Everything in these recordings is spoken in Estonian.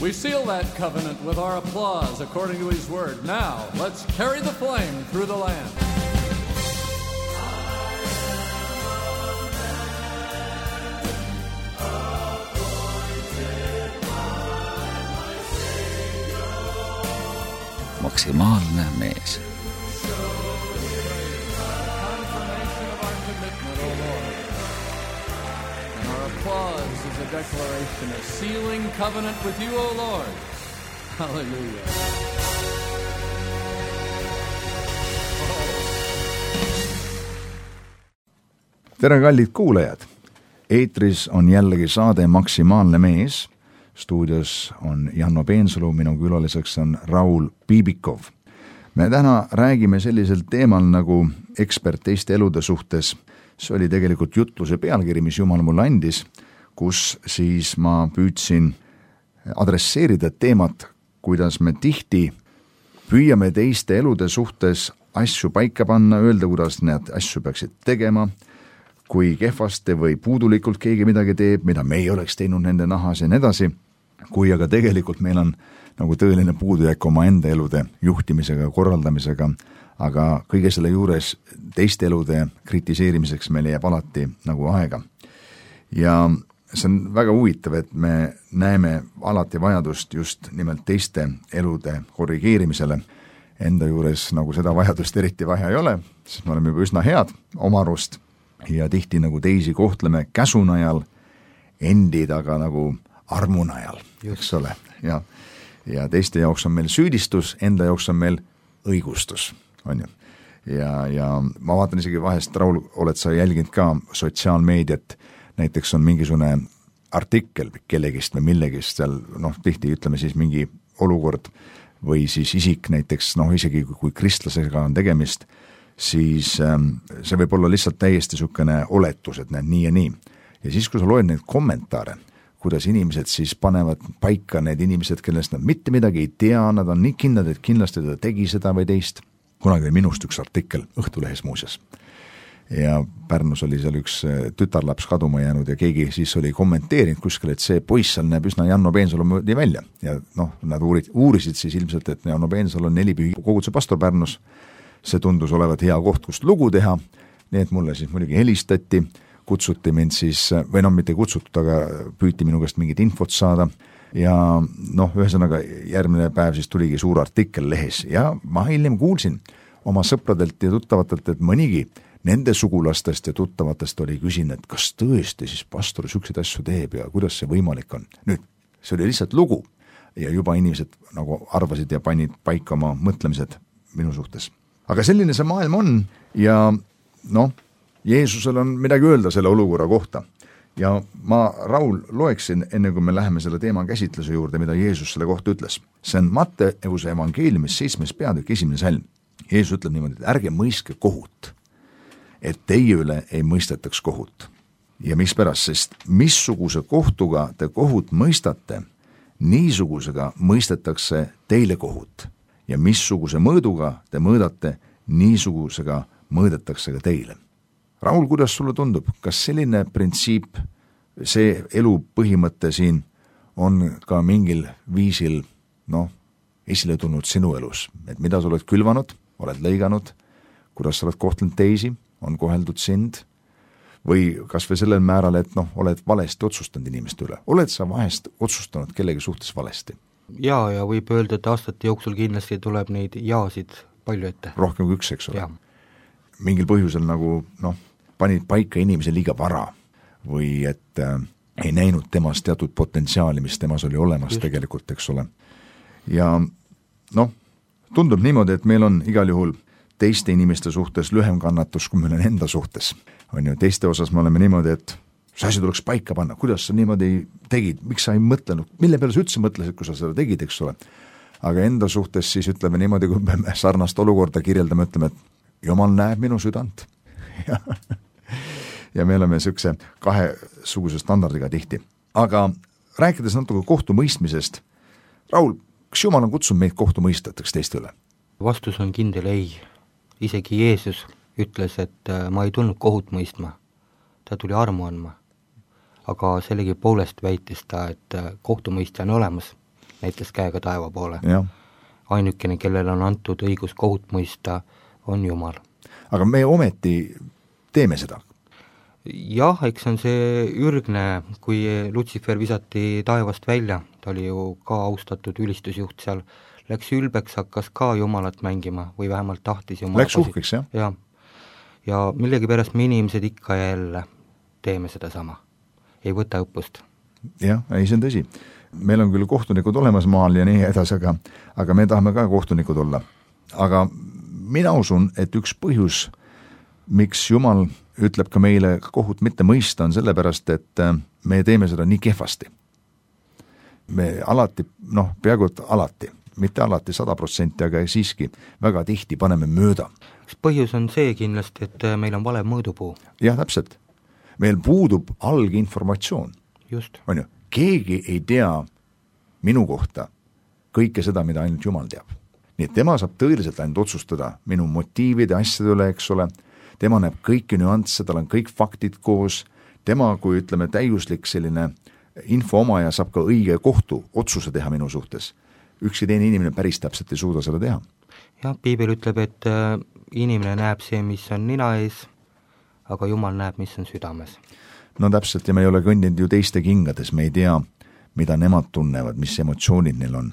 We seal that covenant with our applause according to his word. Now, let's carry the flame through the land. Maksimaalne mees. Applause is a declaration, a sealing covenant with you, O Lord. Hallelujah. Tere, kallid kuulajad! Eetris on jällegi saade Maksimaalne mees. Stuudios on Janno Peensalu, minu külaliseks on Raul Piibikov. Me täna räägime sellisel teemal nagu ekspert teiste elude suhtes. See oli tegelikult jutluse pealkiri, mis Jumal mulle andis, kus siis ma püüdsin adresseerida teemat, kuidas me tihti püüame teiste elude suhtes asju paika panna, öelda, kuidas need asju peaksid tegema, kui kehvasti või puudulikult keegi midagi teeb, mida me ei oleks teinud nende nahas ja nii edasi, kui aga tegelikult meil on nagu tõeline puudujääk oma enda elude juhtimisega, korraldamisega, aga kõige selle juures teiste elude kritiseerimiseks meil jääb alati nagu aega. Ja see on väga huvitav, et me näeme alati vajadust just nimelt teiste elude korrigeerimisele. Enda juures nagu seda vajadust eriti vaja ei ole, sest me oleme juba üsna head oma arust ja tihti nagu teisi kohtleme käsunajal, endid aga nagu armunajal, eks ole. Ja teiste jaoks on meil süüdistus, enda jaoks on meil õigustus. On ju. Ja ma vaatan isegi vahest, Raul, oled sa jälginud ka sotsiaalmeediat, näiteks on mingisugune artikkel kellegist või millegist seal, tihti ütleme siis mingi olukord või siis isik näiteks, isegi kui kristlasega on tegemist, siis see võib olla lihtsalt täiesti sukene oletus, et näed nii ja nii. Ja siis, kui sa loed neid kommentaare, kuidas inimesed siis panevad paika need inimesed, kellest nad mitte midagi ei tea, nad on nii kindlad, et kindlasti ta tegi seda või teist. Kunagi oli minust üks artikkel Õhtulehes muuseas. Ja Pärnus oli seal üks tütarlaps kaduma jäänud ja keegi siis oli kommenteerinud kuskil, et see poiss seal näeb üsna Janno Peensalu möödi välja. Ja nad uurisid siis ilmselt, et Janno Peensalu on 4 pühi koguduse pastor Pärnus. See tundus olevat hea koht, kust lugu teha. Nii et mulle siis muidugi helistati, kutsuti mind siis, või mitte kutsutud, aga püüti minu käest mingit infot saada. Ja ühesõnaga järgmine päev siis tuligi suur artikkel lehes ja ma hiljem kuulsin oma sõpradelt ja tuttavatelt, et mõnigi nende sugulastest ja tuttavatest oli küsin, et kas tõesti siis pastor sükseid asju teeb ja kuidas see võimalik on. Nüüd, see oli lihtsalt lugu ja juba inimesed nagu arvasid ja panid paika oma mõtlemised minu suhtes. Aga selline see maailm on ja Jeesusel on midagi öelda selle olukorra kohta. Ja ma, Raul, loeksin, enne kui me läheme selle teema käsitluse juurde, mida Jeesus selle kohta ütles. See on Matteuse evangeeliumis 7. peatükk 1. salm. Jeesus ütleb niimoodi, et ärge mõistke kohut, et teie üle ei mõistetaks kohut. Ja mispärast, sest missuguse kohtuga te kohut mõistate, niisugusega mõistetakse teile kohut. Ja missuguse mõõduga te mõõdate, niisugusega mõõdetakse ka teile. Raul, kuidas sulle tundub, kas selline printsiip, see elu põhimõte siin on ka mingil viisil, esile tulnud sinu elus, et mida sa oled külvanud, oled lõiganud, kuidas sa oled kohtlenud teisi, on koheldud sind, või kas või sellel määral, et oled valesti otsustanud inimeste üle. Oled sa vahest otsustanud kellegi suhtes valesti? Ja võib öelda, et aastate jooksul kindlasti tuleb neid jaasid palju ette. Rohkem kui üks, eks ole. Mingil põhjusel nagu, panid paika inimese liiga vara või et ei näinud temast teatud potentsiaali, mis temas oli olemas tegelikult, eks ole. Ja tundub niimoodi, et meil on igal juhul teiste inimeste suhtes lühem kannatus, kui meil on enda suhtes. On ju, teiste osas me oleme niimoodi, et see asi tuleks paika panna, kuidas sa niimoodi tegid, miks sa ei mõtlenud, mille peale sa üldse mõtlesid, kui sa seda tegid, eks ole. Aga enda suhtes siis ütleme niimoodi, kui me sarnast olukorda kirjeldame, ütleme, et Jumal näeb minu südant. Ja me oleme niisuguse kahesuguse standardiga tihti. Aga rääkides natuke kohtumõistmisest, Raul, kas Jumal on kutsunud meid kohtumõisteteks teiste üle? Vastus on kindel ei. Isegi Jeesus ütles, et ma ei tulnud kohut mõistma. Ta tuli armu andma. Aga sellegi poolest väitis ta, et kohtumõistja on olemas. näitas käega taeva poole. jah. Ainukene, kellel on antud õigus kohut mõista, on Jumal. aga me ometi teeme seda. Jah, eks on see ürgne, kui Lutsifer visati taevast välja, ta oli ju ka austatud ülistusjuht seal, läks ülbeks, hakkas ka Jumalat mängima või vähemalt tahtis Jumala Läks uhkeks, jah? Ja millegipärast me inimesed ikka jälle teeme seda sama. Ei võta õppust. Jah, ei, see on tõsi. Meil on küll kohtunikud olemas maal ja nii edasi, aga me tahame ka kohtunikud olla. Aga mina usun, et üks põhjus, miks Jumal ütleb ka meile kohut mitte mõista, on sellepärast, et me teeme seda nii kehvasti. Me alati, peaaegu alati, mitte alati 100%, aga siiski väga tihti paneme mööda. Üks põhjus on see kindlasti, et meil on vale mõõdupuu. Jah, täpselt. Meil puudub alginformatsioon. Just. On ju, keegi ei tea minu kohta kõike seda, mida ainult Jumal teab. Nii et tema saab tõeliselt ainult otsustada minu motiivide asjade üle, eks ole. Tema näeb kõiki nüansse, tal on kõik faktid koos. Tema, kui ütleme täiuslik selline info omaja, saab ka õige kohtu otsuse teha minu suhtes. Ükski teine inimene päris täpselt ei suuda seda teha. Jah, Piibel ütleb, et inimene näeb see, mis on nina ees, aga Jumal näeb, mis on südames. No täpselt, ja me ei ole kõndinud ju teiste kingades, me ei tea, mida nemad tunnevad, mis emotsioonid neil on.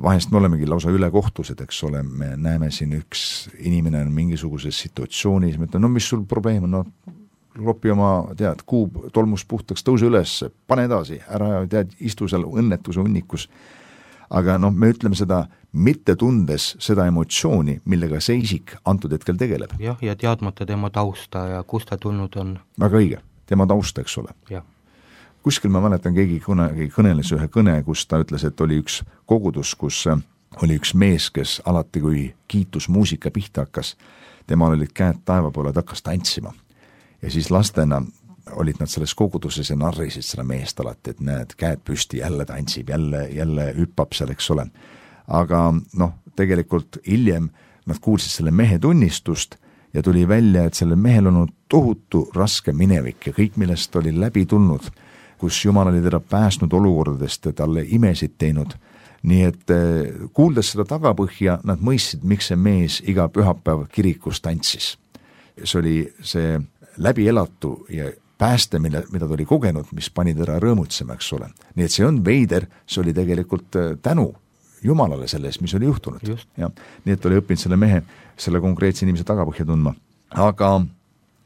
Vahest me olemegi lausa ülekohtused, eks ole, me näeme siin üks inimene on mingisuguses situatsioonis, me ütleme, mis sul probleem on, lopi oma, kuub tolmus puhtaks, tõuse üles, pane edasi, ära istu seal õnnetuse hunnikus. Aga me ütleme seda mitte tundes seda emotsiooni, millega see isik antud hetkel tegeleb. Jah, ja teadmata tema tausta ja kust ta tulnud on. Väga õige, tema tausta, eks ole. Jah. Kuskil ma mäletan, keegi kõneles ühe kõne, kus ta ütles, et oli üks kogudus, kus oli üks mees, kes alati, kui kiitusmuusika pihta hakkas, temal olid käed taeva poole, ta hakkas tantsima. Ja siis lastena olid nad selles koguduses ja narrisid seda meest alati, et näed, käed püsti, jälle tantsib, jälle hüppab seal, eks ole. Aga tegelikult hiljem nad kuulsid selle mehe tunnistust ja tuli välja, et sellel mehel on tohutu raske minevik ja kõik, millest oli läbi tulnud, kus Jumal oli teda pääsnud olukordadest ja talle imesid teinud. Nii et kuuldes seda tagapõhja, nad mõistsid, miks see mees iga pühapäev kirikus tantsis. See oli see läbielatu ja pääste, mida ta oli kogenud, mis pani teda rõõmutsema, eks ole. Nii et see on veider, see oli tegelikult tänu Jumalale selles, mis oli juhtunud. Ja, nii et oli õppinud selle mehe, selle konkreetse inimese tagapõhja tundma. Aga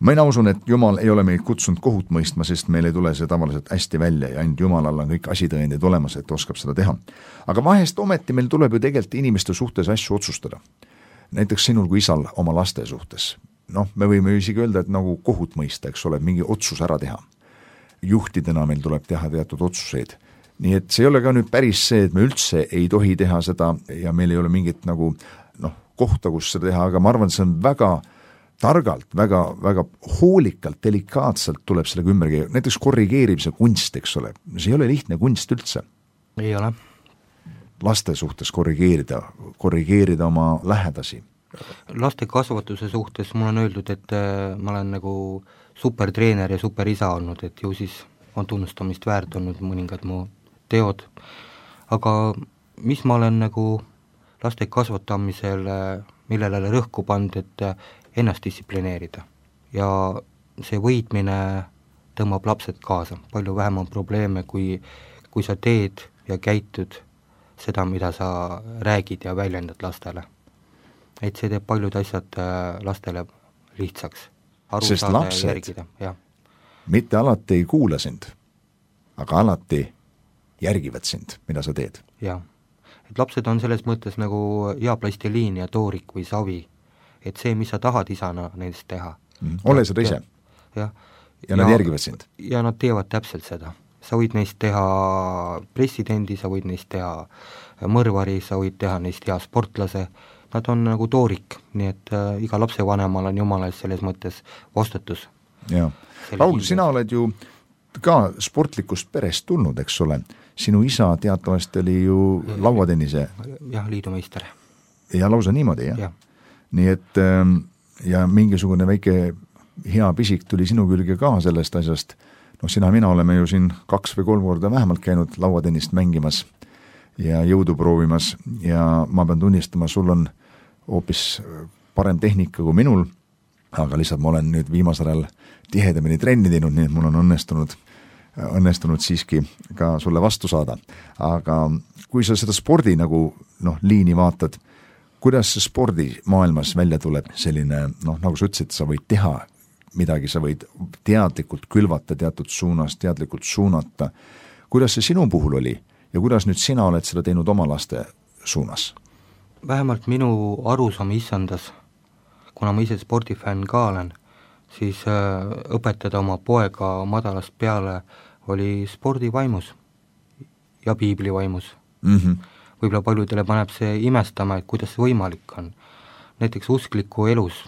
mina usun, et Jumal ei ole meid kutsunud kohut mõistma, sest meil ei tule see tavaliselt hästi välja ja ainult Jumalal on kõik asitõendid olemas, et oskab seda teha. Aga vahest ometi meil tuleb ju tegelikult inimeste suhtes asju otsustada. Näiteks sinul kui isal oma laste suhtes. Me võime isegi öelda, et nagu kohut mõista, eks ole, mingi otsus ära teha. Juhtidena meil tuleb teha teatud otsuseid. Nii et see ei ole ka nüüd päris see, et me üldse ei tohi teha seda ja meil ei ole mingit nagu kohta, kus seda teha, aga ma arvan, see on väga targalt, väga, väga hoolikalt, delikaatselt tuleb sellega ümbergi, näiteks korrigeerimise kunst, eks ole, see ei ole lihtne kunst üldse. Ei ole. Laste suhtes korrigeerida oma lähedasi. Laste kasvatuse suhtes mul on öeldud, et ma olen nagu supertreener ja superisa olnud, et ju siis on tunnustamist väärt olnud mõningad mu teod. Aga mis ma olen nagu laste kasvatamisel, millele rõhku pand, et ennast distsiplineerida. Ja see võitmine tõmbab lapsed kaasa. Palju vähem on probleeme, kui sa teed ja käitud seda, mida sa räägid ja väljendad lastele. Et see teeb paljud asjad lastele lihtsaks. Sest lapsed järgida, mitte alati ei kuula sind, aga alati järgivad sind, mida sa teed. Jah. Et lapsed on selles mõttes nagu hea plastiliin ja toorik või savi. Et see, mis sa tahad isana nendest teha. Ole seda ise. Ja nad järgivad sind. Ja nad teevad täpselt seda. Sa võid neist teha presidendi, sa võid neist teha mõrvari, sa võid teha neist hea sportlase. Nad on nagu toorik, nii et iga lapse vanemal on Jumala selles mõttes vastutus. Ja. Raul, sina oled ju ka sportlikust perest tulnud, eks ole. Sinu isa teatavasti oli ju lauatennise. Jah, liidumeister. Ja lausa niimoodi, jah? Ja. Nii et ja mingisugune väike hea pisik tuli sinu külge ka sellest asjast. Sina, mina oleme ju siin 2 või 3 korda vähemalt käinud lauatennist mängimas ja jõudu proovimas ja ma pean tunnistama, sul on hoopis parem tehnika kui minul, aga lihtsalt ma olen nüüd viimasel ajal tihedamini trenni teinud, nii et mul on õnnestunud siiski ka sulle vastu saada. Aga kui sa seda spordi liini vaatad, kuidas see spordimaailmas välja tuleb selline, nagu sa ütlesid, sa võid teha midagi, sa võid teadlikult külvata teatud suunas, teadlikult suunata. Kuidas see sinu puhul oli ja kuidas nüüd sina oled seda teinud oma laste suunas? Vähemalt minu arusaam issandas, kuna ma ise spordifänn ka olen, siis õpetada oma poega madalast peale oli spordivaimus ja piiblivaimus. Võib-olla paljudele paneb see imestama, et kuidas see võimalik on. Näiteks uskliku elus,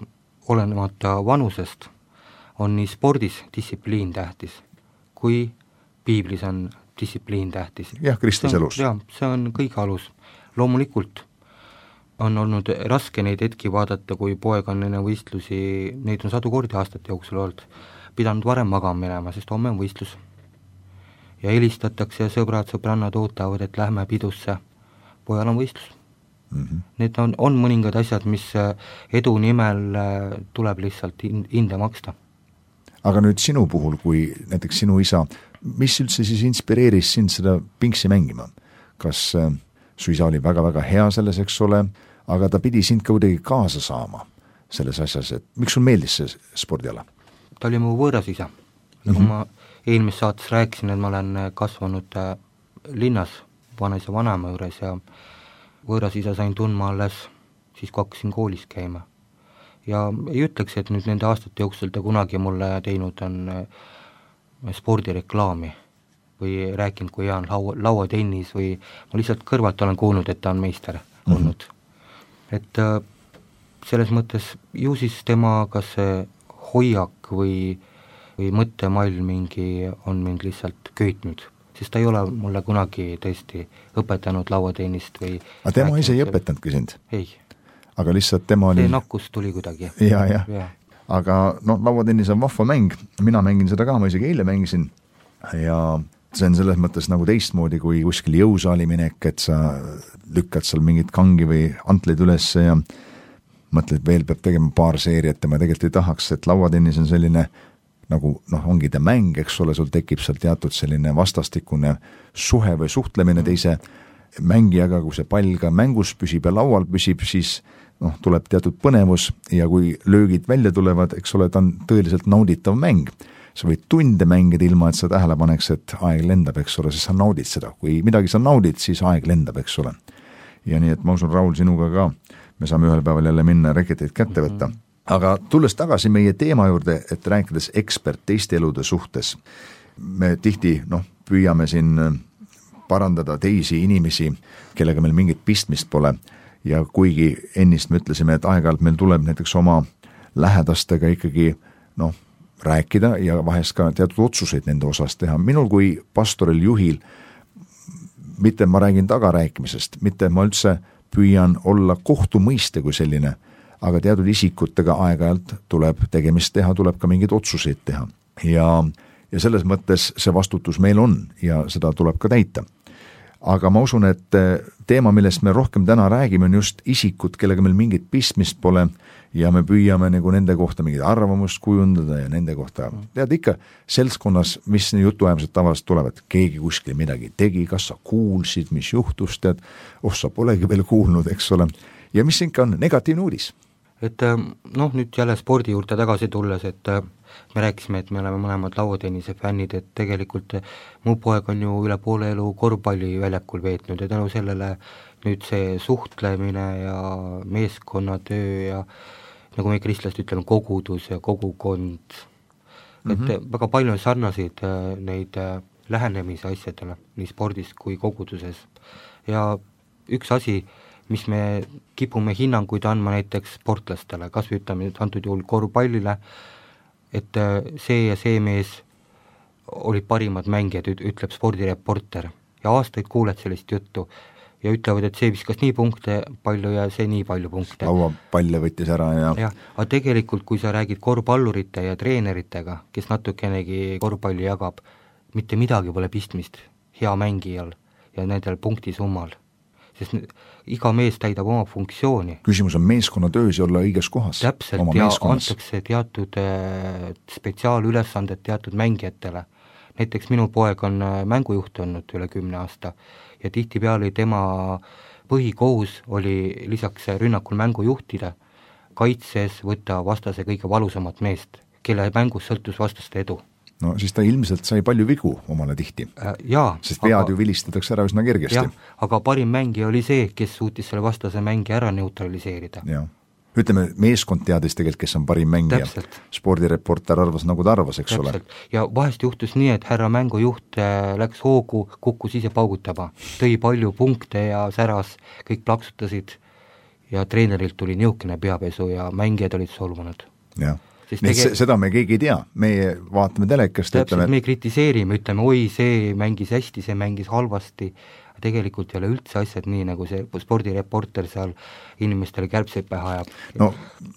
olenemata vanusest, on nii spordis distsipliin tähtis, kui piiblis on distsipliin tähtis. Jah, kristlis elus. Jah, see on kõige alus. Loomulikult on olnud raske neid hetki vaadata, kui poeg on enne võistlusi, neid on 100 kordi aastate jooksul olnud, pidanud varem magama minema, sest homme on võistlus. Ja helistatakse ja sõbrannad ootavad, et lähme pidusse, pojal on võistlus. Need on mõningad asjad, mis edu nimel tuleb lihtsalt hinde maksta. Aga nüüd sinu puhul, kui näiteks sinu isa, mis üldse siis inspireeris sind seda pingsi mängima? Kas su isa oli väga-väga hea selles, eks ole, aga ta pidi sind ka kuidagi kaasa saama selles asjas, et miks sul meeldis see spordiala? Ta oli mu võõras isa. Nagu ma eelmises saates rääkisin, et ma olen kasvanud linnas vanaisa vanaema juures ja võõras isa sain tundma alles siis, kui hakkasin koolis käima. Ja ei ütleks, et nüüd nende aastate jooksul ta kunagi mulle teinud on spordireklaami või rääkinud, kui hea on lauatennis või ma lihtsalt kõrvalt olen kuulnud, et ta on meister olnud. Et selles mõttes ju siis tema kas see hoiak või mõttemall mingi on mind lihtsalt köitnud, sest ta ei ole mulle kunagi tõesti õpetanud lauatennist või... Aga tema ise ei õpetanudki sind? Ei. Aga lihtsalt tema oli... See nakkus tuli kuidagi. Ja. Aga lauatennis on vahva mäng, mina mängin seda ka, ma isegi eile mängisin ja see on selles mõttes nagu teistmoodi kui kuskil jõusaali minek, et sa lükkad seal mingit kangi või antleid üles ja mõtled, veel peab tegema paar seeriat ja ma tegelikult ei tahaks, et lauatennis on selline nagu ongi ta mäng, eks ole, sul tekib seal teatud selline vastastikune suhe või suhtlemine teise mängijaga, kui see pall ka mängus püsib ja laual püsib, siis tuleb teatud põnevus ja kui löögid välja tulevad, eks ole, ta on tõeliselt nauditav mäng. Sa võid tunde mängida ilma, et sa tähele paneks, et aeg lendab, eks ole, siis sa naudid seda. Kui midagi sa naudid, siis aeg lendab, eks ole. Ja nii, et ma usun, Raul, sinuga ka, me saame ühel päeval jälle minna reketeid kätte võtta. Aga tulles tagasi meie teema juurde, et rääkides ekspert teiste elude suhtes, me tihti püüame siin parandada teisi inimesi, kellega meil mingit pistmist pole ja kuigi ennist me ütlesime, et aeg-ajalt meil tuleb näiteks oma lähedastega ikkagi rääkida ja vahest ka teatud otsuseid nende osas teha. Minul kui pastoril juhil, mitte ma räägin tagarääkimisest, mitte ma üldse püüan olla kohtumõiste kui selline, aga teatud isikutega aeg-ajalt tuleb tegemist teha, tuleb ka mingeid otsuseid teha. Ja selles mõttes see vastutus meil on ja seda tuleb ka täita. Aga ma usun, et teema, millest me rohkem täna räägime, on just isikud, kellega meil mingit pistmist pole ja me püüame nagu nende kohta mingit arvamust kujundada ja nende kohta, tead ikka seltskonnas, mis jutuajamised tavaliselt tulevad, keegi kuskil midagi tegi, kas sa kuulsid, mis juhtus, tead, sa polegi veel kuulnud, eks ole, ja mis ikka on negatiivne uudis. Et nüüd jälle spordi juurde tagasi tulles, et me rääkisime, et me oleme mõlemad lauatennise fännid, et tegelikult mu poeg on ju üle poole elu korvpalli väljakul veetnud ja tänu sellele nüüd see suhtlemine ja meeskonnatöö ja nagu me kristlased ütleme, kogudus ja kogukond, et väga palju sarnaseid neid lähenemise asjadele nii spordis kui koguduses ja üks asi, mis me kipume hinnanguid andma näiteks sportlastele, kas või ütleme antud juhul korvpallile, et see ja see mees olid parimad mängijad, ütleb spordireporter ja aastaid kuuled sellist juttu ja ütlevad, et see viskas nii punkte palju ja see nii palju punkte. Lauapalle võttis ära ja... Aga tegelikult, kui sa räägid korvpallurite ja treeneritega, kes natukenegi korvpalli jagab, mitte midagi pole pistmist hea mängijal ja nendel punktisummal. sest iga mees täidab oma funktsiooni. Küsimus on meeskonnatöös ja olla õiges kohas. Täpselt, ja antakse teatud spetsiaalülesanded teatud mängijatele. Näiteks minu poeg on mängujuht olnud üle 10 aasta ja tihtipeale tema põhikohus oli lisaks rünnakul mängu juhtida, kaitses võtta vastase kõige valusamat meest, kelle mängus sõltus vastaste edu. No siis ta ilmselt sai palju vigu omale tihti. Jaa. Sest vead ju vilistatakse ära üsna kergesti. Jah, aga parim mängija oli see, kes suutis selle vastase mängi ära neutraliseerida. Jah. Ütleme, meeskond teadis tegelikult, kes on parim mängija. Täpselt. Spordireporter arvas, nagu ta arvas, eks Täpselt. ole. Ja vahest juhtus nii, et härra mängujuht läks hoogu, kukkus ise paugutama, tõi palju punkte ja säras, kõik plaksutasid ja treenerilt tuli niukene peapesu ja mängijad olid solvunud. Jah. Seda me keegi ei tea, meie vaatame telekast. Täpselt, me kritiseerime, ütleme, oi, see mängis hästi, see mängis halvasti, tegelikult ei ole üldse asjad nii, nagu see spordireporter seal inimestele kärbseid pähe ajab. No.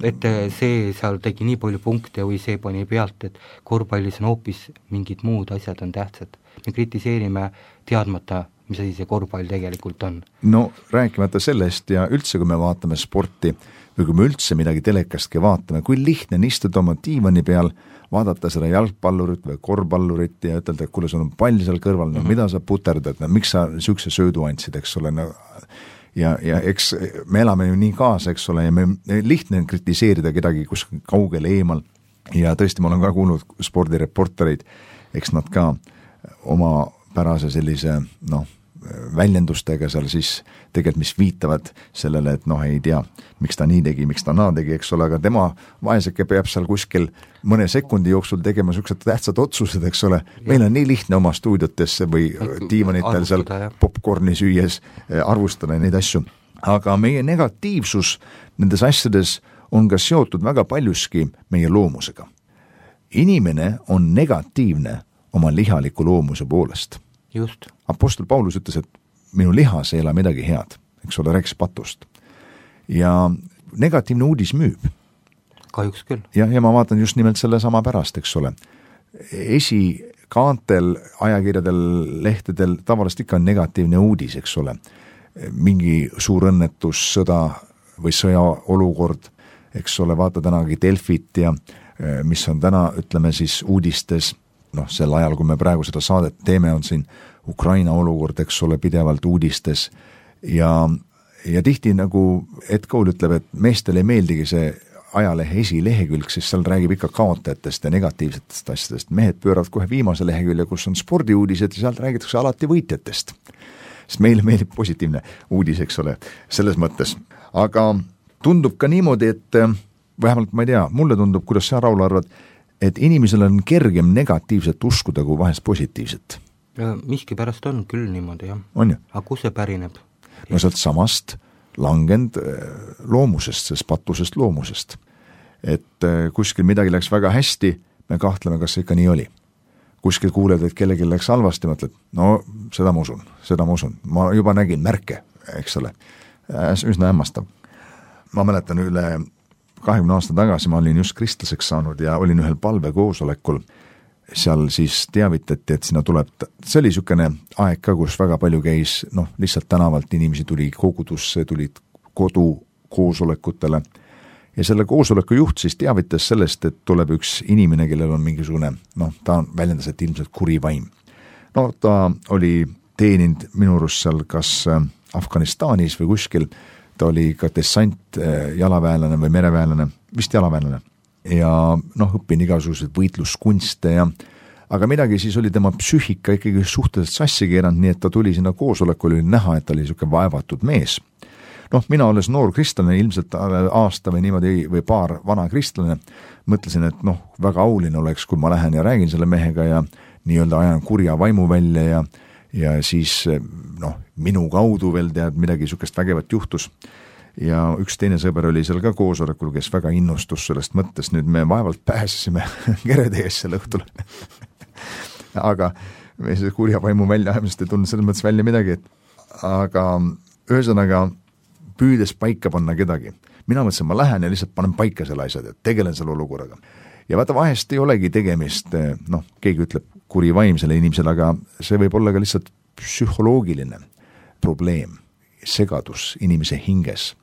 Et see seal tegi nii palju punkte või see pani pealt, et korvpallis on hoopis mingid muud asjad on tähtsad. Me kritiseerime teadmata, mis asi see korvpall tegelikult on. No rääkimata sellest ja üldse, kui me vaatame sporti või kui me üldse midagi telekastki vaatame, kui lihtne on istuda oma diivani peal, vaadata seda jalgpallurit või korvpallurit ja ütelda, et kuule, sul on pall seal kõrval, no mida sa puterdad, no miks sa sükse söödu andsid, eks ole, no ja eks me elame ju nii kaasa, eks ole, ja me lihtne on kritiseerida kedagi kuskil kaugel eemal ja tõesti, ma olen ka kuulnud spordireportereid, eks nad ka oma pärase sellise, väljendustega seal siis tegelikult, mis viitavad sellele, et ei tea, miks ta nii tegi, miks ta naa tegi, eks ole, aga tema vaeseke peab seal kuskil mõne sekundi jooksul tegema niisugused tähtsad otsused, eks ole. Meil on nii lihtne oma stuudiotesse või diivanitel seal popcorni süües arvustada neid asju. Aga meie negatiivsus nendes asjades on ka seotud väga paljuski meie loomusega. Inimene on negatiivne oma lihaliku loomuse poolest. Just. Apostel Paulus ütles, et minu lihas ei ole midagi head, eks ole, rääkis patust. Ja negatiivne uudis müüb. Kahjuks küll. Ja ma vaatan just nimelt selle sama pärast, eks ole. Esikaantel, ajakirjadel, lehtedel tavaliselt ikka on negatiivne uudis, eks ole. Mingi suur õnnetus, sõda või sõjaolukord, eks ole, vaata tänagi Delfit ja mis on täna, ütleme siis uudistes, sel ajal, kui me praegu seda saadet teeme, on siin Ukraina olukord, eks ole, pidevalt uudistes ja tihti nagu Ed Cole ütleb, et meestel ei meeldigi see ajalehe esilehekülg, siis seal räägib ikka kaotajatest ja negatiivsetest asjadest. Mehed pööravad kohe viimase lehekülje, kus on spordiuudised ja sealt räägitakse alati võitjatest. Sest meile meeldib positiivne uudis, eks ole, selles mõttes. Aga tundub ka niimoodi, et vähemalt ma ei tea, mulle tundub, kuidas sa, Raul, arvad, et inimesel on kergem negatiivset uskuda kui vahest positiivset. Miski pärast on küll niimoodi, jah. On ju? Aga kus see pärineb? No sealt samast langend loomusest, sest patusest loomusest. Et kuskil midagi läks väga hästi, me kahtleme, kas see ikka nii oli. Kuskil kuuled, et kellelgi läks halvasti, mõtled, seda ma usun. Ma juba nägin märke, eks ole. Üsna hämmastav. Ma mäletan üle 20 aasta tagasi ma olin just kristlaseks saanud ja olin ühel palvekoosolekul. Seal siis teavitati, et sinna tuleb, see oli niisugune aeg ka, kus väga palju käis, lihtsalt tänavalt inimesi tuli kogudusse, tulid kodukoosolekutele ja selle koosoleku juht siis teavitas sellest, et tuleb üks inimene, kellel on mingisugune, ta väljendas, et ilmselt kuri vaim. Ta oli teeninud minu arust seal kas Afganistanis või kuskil, ta oli ka dessant jalaväelane või mereväelane, vist jalaväelane ja õppin igasuguseid võitluskunste aga midagi siis oli tema psüühika ikkagi suhteliselt sassi keeranud, nii et ta tuli sinna koosolekul, oli näha, et ta oli niisugune vaevatud mees. Mina olles noor kristlane, ilmselt aasta või niimoodi või paar vana kristlane, mõtlesin, et väga auline oleks, kui ma lähen ja räägin selle mehega ja nii-öelda ajan kurja vaimu välja ja siis minu kaudu veel tead midagi niisugust vägevat juhtus ja üks teine sõber oli seal ka koosolekul, kes väga innustus sellest mõttes, nüüd me vaevalt pääsesime kerede ees selle õhtul aga me see kurja vaimu väljaajamist ei tulnud selles mõttes välja midagi, aga ühesõnaga püüdes paika panna kedagi. Mina mõtlesin, ma lähen ja lihtsalt panen paika selle asjad, et tegelen selle olukorraga. Ja vaata, vahest ei olegi tegemist, keegi ütleb kuri vaim selle inimesele, aga see võib olla ka lihtsalt psühholoogiline probleem. segadus inimese hinges.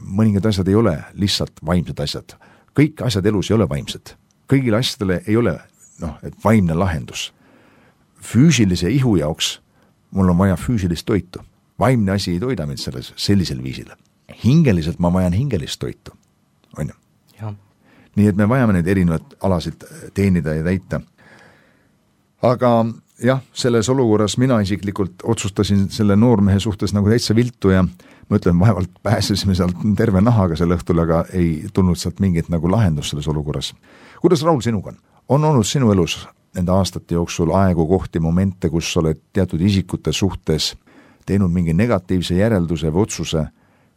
Mõningad asjad ei ole lihtsalt vaimsed asjad. Kõik asjad elus ei ole vaimsed. Kõigile asjadele ei ole et vaimne lahendus. Füüsilise ihu jaoks mul on vaja füüsilist toitu. Vaimne asi ei toida mind sellisel viisil. Hingeliselt ma vajan hingelist toitu. On ju? Ja. Nii et me vajame neid erinevad alasid teenida ja täita. Aga jah, selles olukorras mina isiklikult otsustasin selle noormehe suhtes nagu täitsa viltu ja ma ütlen, vaevalt pääsesime sealt terve nahaga selle õhtul, aga ei tulnud sealt mingit nagu lahendus selles olukorras. Kuidas, Raul, sinuga on? On olnud sinu elus nende aastate jooksul aegu, kohti, momente, kus oled teatud isikute suhtes teinud mingi negatiivse järelduse või otsuse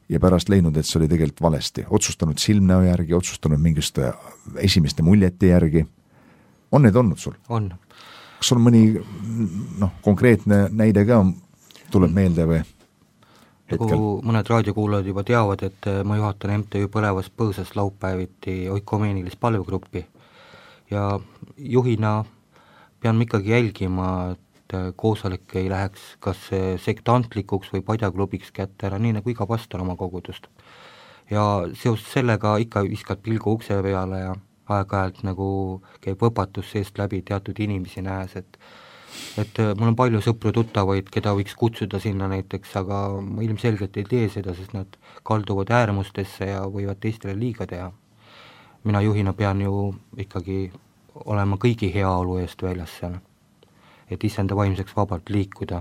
ja pärast leidnud, et see oli tegelikult valesti. Otsustanud silmnäo järgi, otsustanud mingiste esimeste muljete järgi. On need olnud sul? On. Kas on mõni konkreetne näide ka tuleb meelde või hetkel? Nagu mõned raadiokuulajad juba teavad, et ma juhatan MTÜ Põlevas Põõsas laupäeviti oikomeenilist palvegruppi ja juhina pean ikkagi jälgima, et koosolek ei läheks kas sektantlikuks või padjaklubiks kätte ära, nii nagu iga pastor oma kogudust. Ja seoses sellega ikka viskad pilgu ukse peale ja aeg-ajalt nagu käib õpatus seest läbi teatud inimesi nähes, et mul on palju sõpru tuttavaid, keda võiks kutsuda sinna näiteks, aga ma ilmselgelt ei tee seda, sest nad kalduvad äärmustesse ja võivad teistele liiga teha. Mina juhina pean ju ikkagi olema kõigi heaolu eest väljas seal, et isenda vaimseks vabalt liikuda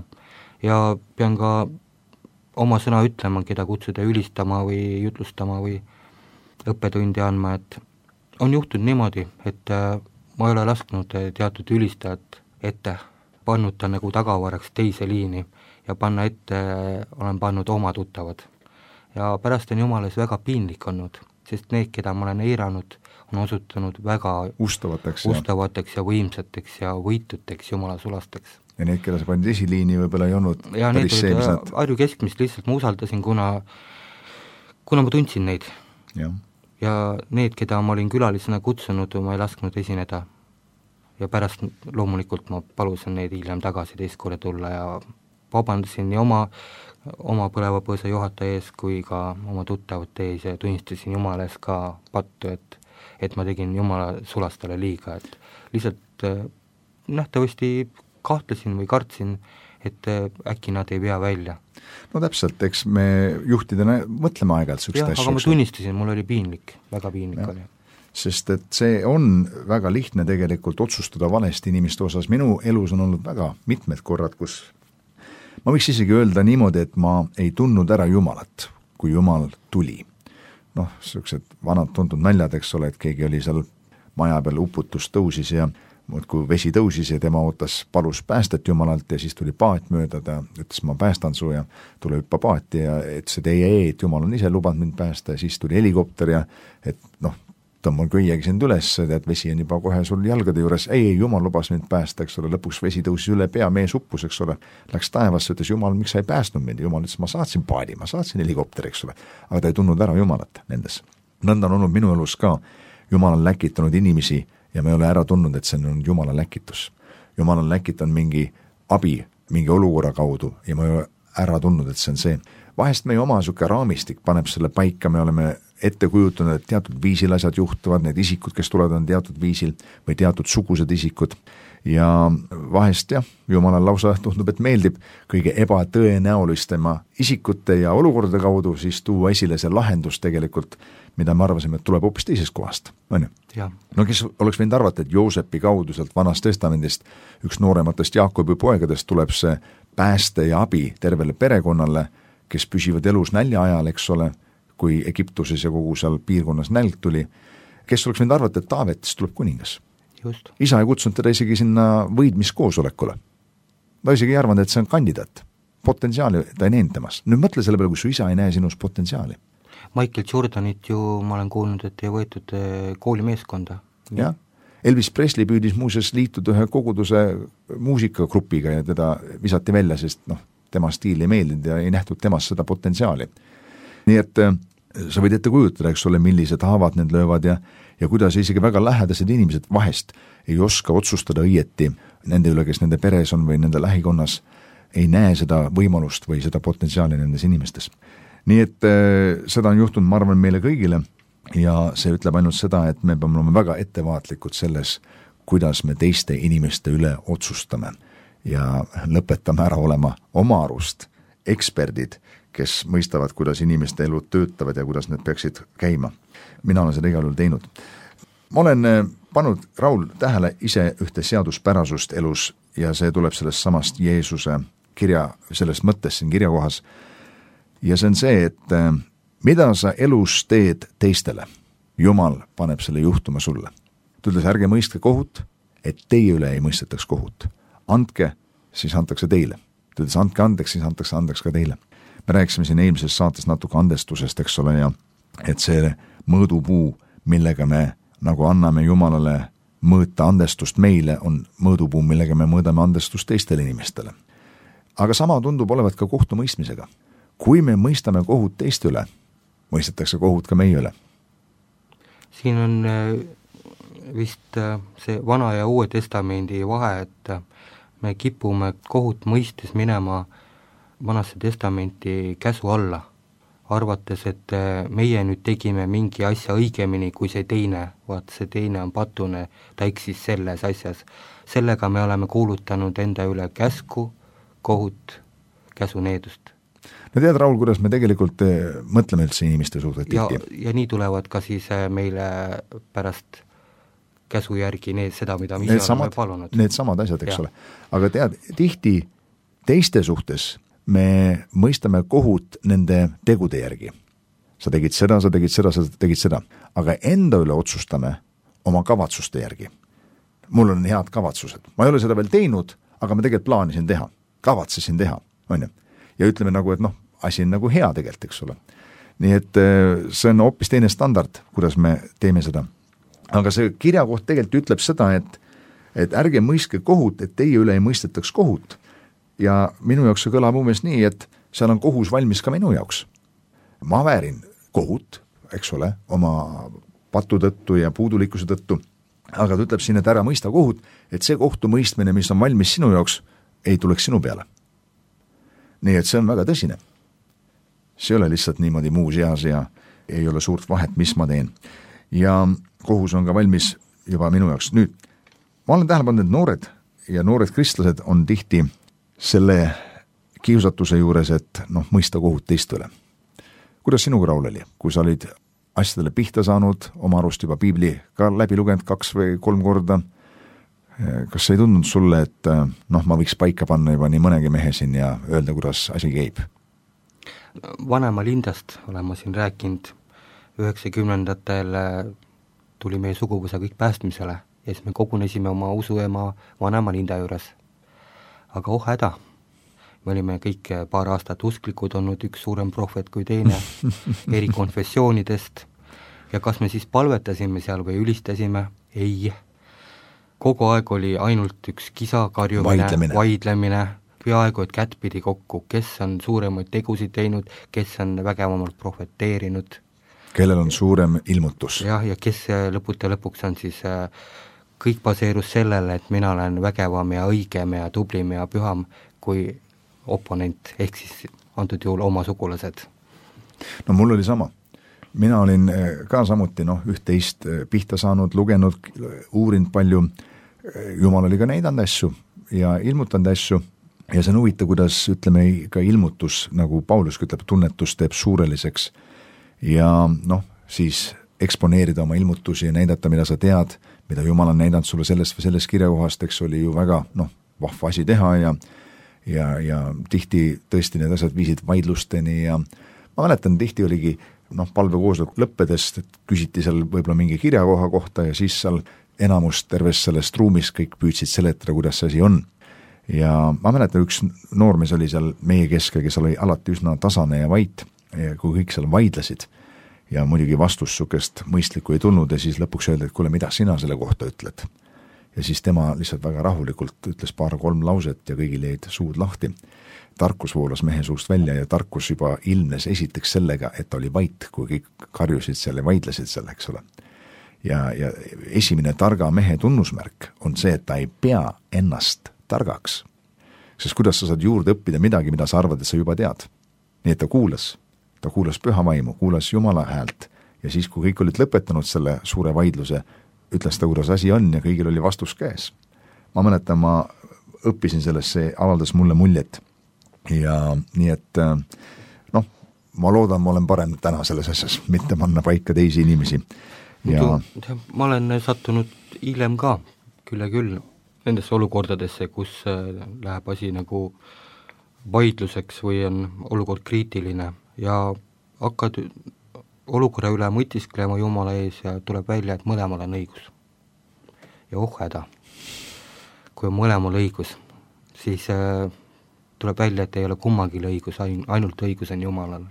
ja pean ka oma sõna ütlema, keda kutsuda ülistama või jutlustama või õppetundi andma, et on juhtunud niimoodi, et ma ei ole lasknud teatud ülistajat ette, pannud ta nagu tagavaraks teise liini ja panna ette olen pannud oma tuttavad. Ja pärast on jumales väga piinlik olnud, sest need, keda ma olen eiranud, on osutunud väga ustavateks ja võimsateks ja võituteks jumala sulasteks. Ja need, keda sa panid esiliini, võib-olla ei olnud ja päris see, mis nad... Harju keskmist lihtsalt ma usaldasin, kuna ma tundsin neid. Ja need, keda ma olin külalisena kutsunud, ma ei lasknud esineda. Ja pärast loomulikult ma palusin neid hiljem tagasi teist korda tulla ja vabandasin nii oma Põleva Põõsa juhataja ees kui ka oma tuttavate ees ja tunnistasin jumala ees ka pattu, et ma tegin jumala sulastele liiga, et lihtsalt nähtavasti kahtlesin või kartsin, et äkki nad ei vea välja. No täpselt, eks me juhtidena mõtleme aeg-ajalt sükst asju. Aga ma tunnistasin, mul oli piinlik, väga piinlik oli. Sest et see on väga lihtne tegelikult otsustada valesti inimeste osas. Minu elus on olnud väga mitmed korrad, kus ma võiks isegi öelda niimoodi, et ma ei tundnud ära Jumalat, kui Jumal tuli. Sellised vanad tuntud naljad, eks ole, et keegi oli seal maja peal uputus tõusis ja kui vesi tõusis ja tema palus päästet Jumalalt ja siis tuli paat mööda, ta ütles, ma päästan su ja tule hüppa paati ja ütles, et ei, et Jumal on ise lubanud mind päästa ja siis tuli helikopter ja et tõmban köiegi sind üles, et vesi on juba kohe sul jalgade juures, ei, Jumal lubas mind päästa, eks ole, lõpuks vesi tõusis üle pea, mees uppus, eks ole, läks taevasse, ütles Jumal, miks sa ei päästnud mind, Jumal ütles, ma saatsin paadi, ma saatsin helikopteri, eks ole, aga ta ei tundnud ära Jumalat nendes. Nõnda on olnud minu elus ka, Jumal on läkitanud inimesi ja me ei ole ära tundnud, et see on Jumala läkitus. Jumal on läkitanud mingi abi, mingi olukorra kaudu ja me ei ole ära tundnud, et see on see. Vahest meie oma süke raamistik paneb selle paika, me oleme ette kujutanud, et teatud viisil asjad juhtuvad, need isikud, kes tulevad, on teatud viisil või teatud sugused isikud ja vahest Jumalal lausa tundub, et meeldib kõige ebatõenäolistema isikute ja olukordade kaudu siis tuua esile see lahendus tegelikult, mida me arvasime, et tuleb hoopis teisest kohast, on ju? No kes oleks võinud arvata, et Joosepi kaudu sealt Vanast Testamendist üks noorematest Jaakobi poegadest tuleb see pääste ja abi tervele perekonnale, kes püsivad elus nälja ajal, eks ole, kui Egiptuses ja kogu seal piirkonnas nälg tuli, kes oleks võinud arvata, et Taavetist tuleb kuningas. Just. Isa ei kutsunud teda isegi sinna võidmiskoosolekule. Ta isegi ei arvanud, et see on kandidaat. Potentsiaali ta ei näinud temas. Nüüd mõtle selle peale, kui su isa ei näe sinus potentsiaali. Michael Jordanit ju ma olen kuulnud, et ei võetud koolimeeskonda. Jah. Elvis Presley püüdis muuseas liituda ühe koguduse muusikagrupiga ja teda visati välja, sest tema stiil ei meeldinud ja ei nähtud temast seda potentsiaali. Nii et sa võid ette kujutada, eks ole, millised haavad need löövad ja kuidas isegi väga lähedased inimesed vahest ei oska otsustada õieti nende üle, kes nende peres on või nende lähikonnas, ei näe seda võimalust või seda potentsiaali nendes inimestes. Nii et seda on juhtunud, ma arvan, meile kõigile ja see ütleb ainult seda, et me peame olema väga ettevaatlikud selles, kuidas me teiste inimeste üle otsustame ja lõpetame ära olema oma arust eksperdid, kes mõistavad, kuidas inimeste elud töötavad ja kuidas need peaksid käima. Mina olen seda igal juhul teinud. Ma olen pannud, Raul, tähele ise ühte seaduspärasust elus ja see tuleb sellest samast Jeesuse kirja, sellest mõttest siin kirjakohas. Ja see on see, et mida sa elus teed teistele, Jumal paneb selle juhtuma sulle. Ta ütles, ärge mõistke kohut, et teie üle ei mõistetaks kohut. Andke, siis antakse teile. Ta ütles, andke andeks, siis antakse andeks ka teile. Me rääkisime siin eelmises saates natuke andestusest, eks ole, ja et see mõõdupuu, millega me nagu anname Jumalale mõõta andestust meile, on mõõdupuu, millega me mõõdame andestust teistele inimestele. Aga sama tundub olevat ka kohtumõistmisega. Kui me mõistame kohut teiste üle, mõistetakse kohut ka meie üle. Siin on vist see Vana ja Uue Testamendi vahe, et me kipume kohut mõistes minema Vanasse Testamenti käsu alla, arvates, et meie nüüd tegime mingi asja õigemini kui see teine, vaat see teine on patune, ta eksis selles asjas. Sellega me oleme kuulutanud enda üle käsku, kohut, käsuneedust. No tead, Raul, kuidas me tegelikult mõtleme üldse inimeste suhtes tihti? Ja nii tulevad ka siis meile pärast käsu järgi seda, mida me ise oleme palunud. Need samad asjad, eks ole. Aga tead, tihti teiste suhtes me mõistame kohut nende tegude järgi. Sa tegid seda, sa tegid seda, sa tegid seda. Aga enda üle otsustame oma kavatsuste järgi. Mul on head kavatsused. Ma ei ole seda veel teinud, aga ma tegelikult plaanisin teha. Kavatsesin teha, on ju. Ja ütleme nagu, et asi on nagu hea tegelikult, eks ole. Nii et see on hoopis teine standard, kuidas me teeme seda. Aga see kirjakoht tegelikult ütleb seda, et ärge mõistke kohut, et teie üle ei mõistetaks kohut. Ja minu jaoks see kõlab umbes nii, et seal on kohus valmis ka minu jaoks. Ma väärin kohut, eks ole, oma patu tõttu ja puudulikkuse tõttu, aga ta ütleb siin, et ära mõista kohut, et see kohtumõistmine, mis on valmis sinu jaoks, ei tuleks sinu peale. Nii et see on väga tõsine. See ei ole lihtsalt niimoodi muus eas ja ei ole suurt vahet, mis ma teen. Ja kohus on ka valmis juba minu jaoks. Nüüd, ma olen tähele pannud, et noored kristlased on tihti selle kiusatuse juures, et mõista kohut teist üle. Kuidas sinuga, Raul, oli? Kui sa olid asjadele pihta saanud, oma arust juba piibli ka läbi lugenud 2 või 3 korda, kas ei tundnud sulle, et ma võiks paika panna juba nii mõnegi mehe siin ja öelda, kuidas asi käib? Vanema lindast olen ma siin rääkinud, 90-ndatel tuli meie suguvõsa kõik päästmisele ja siis me kogunesime oma usuema vanema linda juures. Aga häda, me olime kõik paar aastat usklikud olnud, üks suurem prohvet kui teine, eri konfessioonidest ja kas me siis palvetasime seal või ülistasime? Ei. Kogu aeg oli ainult üks kisa, karjumine, vaidlemine, peaaegu et kättpidi kokku, kes on suuremaid tegusid teinud, kes on vägevamalt prohveteerinud. Kellel on suurem ilmutus. Ja kes lõpuks on siis kõik baseerus sellele, et mina olen vägevam ja õigem ja tublim ja püham kui oponent, ehk siis antud juhul oma sugulased. No mul oli sama. Mina olin ka samuti üht-teist pihta saanud, lugenud, uurinud palju. Jumal oli ka näidanud asju ja ilmutanud asju ja see on huvitav, kuidas ütleme ka ilmutus, nagu Paulus ütleb, tunnetus teeb suureliseks ja siis eksponeerida oma ilmutusi ja näidata, mida sa tead, mida Jumal on näidanud sulle sellest või sellest kirjakohast, eks oli ju väga vahva asi teha ja tihti tõesti need asjad viisid vaidlusteni ja ma mäletan, tihti oligi palvekoosolek lõppedest, et küsiti seal võib-olla mingi kirjakoha kohta ja siis seal enamus tervest sellest ruumist kõik püüdsid seletada, kuidas see asi on. Ja ma mäletan, üks noormees oli seal meie keskel, kes oli alati üsna tasane ja vait, ja kui kõik seal vaidlesid ja muidugi vastus sukest mõistlikku ei tulnud ja siis lõpuks öeldi, et kuule, mida sina selle kohta ütled. Ja siis tema lihtsalt väga rahulikult ütles 2-3 lauset ja kõigil jäid suud lahti. Tarkus voolas mehe suust välja ja tarkus juba ilmnes esiteks sellega, et ta oli vait, kui kõik karjusid seal ja vaidlesid seal, eks ole. Ja esimene targa mehe tunnusmärk on see, et ta ei pea ennast targaks. sest kuidas sa saad juurde õppida midagi, mida sa arvad, et sa juba tead. Nii et ta kuulas püha vaimu, kuulas Jumala häält ja siis, kui kõik olid lõpetanud selle suure vaidluse, ütles ta, kuidas asi on ja kõigil oli vastus käes. Ma mäletan, ma õppisin sellest, see avaldas mulle muljet ja nii et ma loodan, ma olen parem täna selles asjas, mitte panna paika teisi inimesi. Ja ma olen sattunud hiljem ka, küll nendesse olukordadesse, kus läheb asi nagu vaidluseks või on olukord kriitiline ja hakkad olukorra üle mõtisklema Jumala ees ja tuleb välja, et mõlemal on õigus. Ja häda, kui on mõlemal õigus, siis tuleb välja, et ei ole kummagil õigus, ainult õigus on Jumalal.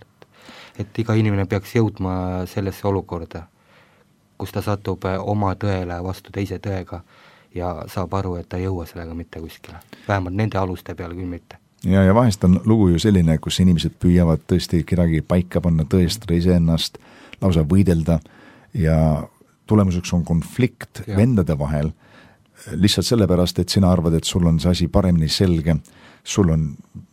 Et iga inimene peaks jõudma sellesse olukorda, kus ta satub oma tõele vastu teise tõega ja saab aru, et ta ei jõua sellega mitte kuskile. Vähemalt nende aluste peale küll mitte. Ja vahest on lugu ju selline, kus inimesed püüavad tõesti kedagi paika panna, tõestada iseennast, lausa võidelda ja tulemuseks on konflikt vendade vahel, lihtsalt sellepärast, et sina arvad, et sul on see asi paremini selge, sul on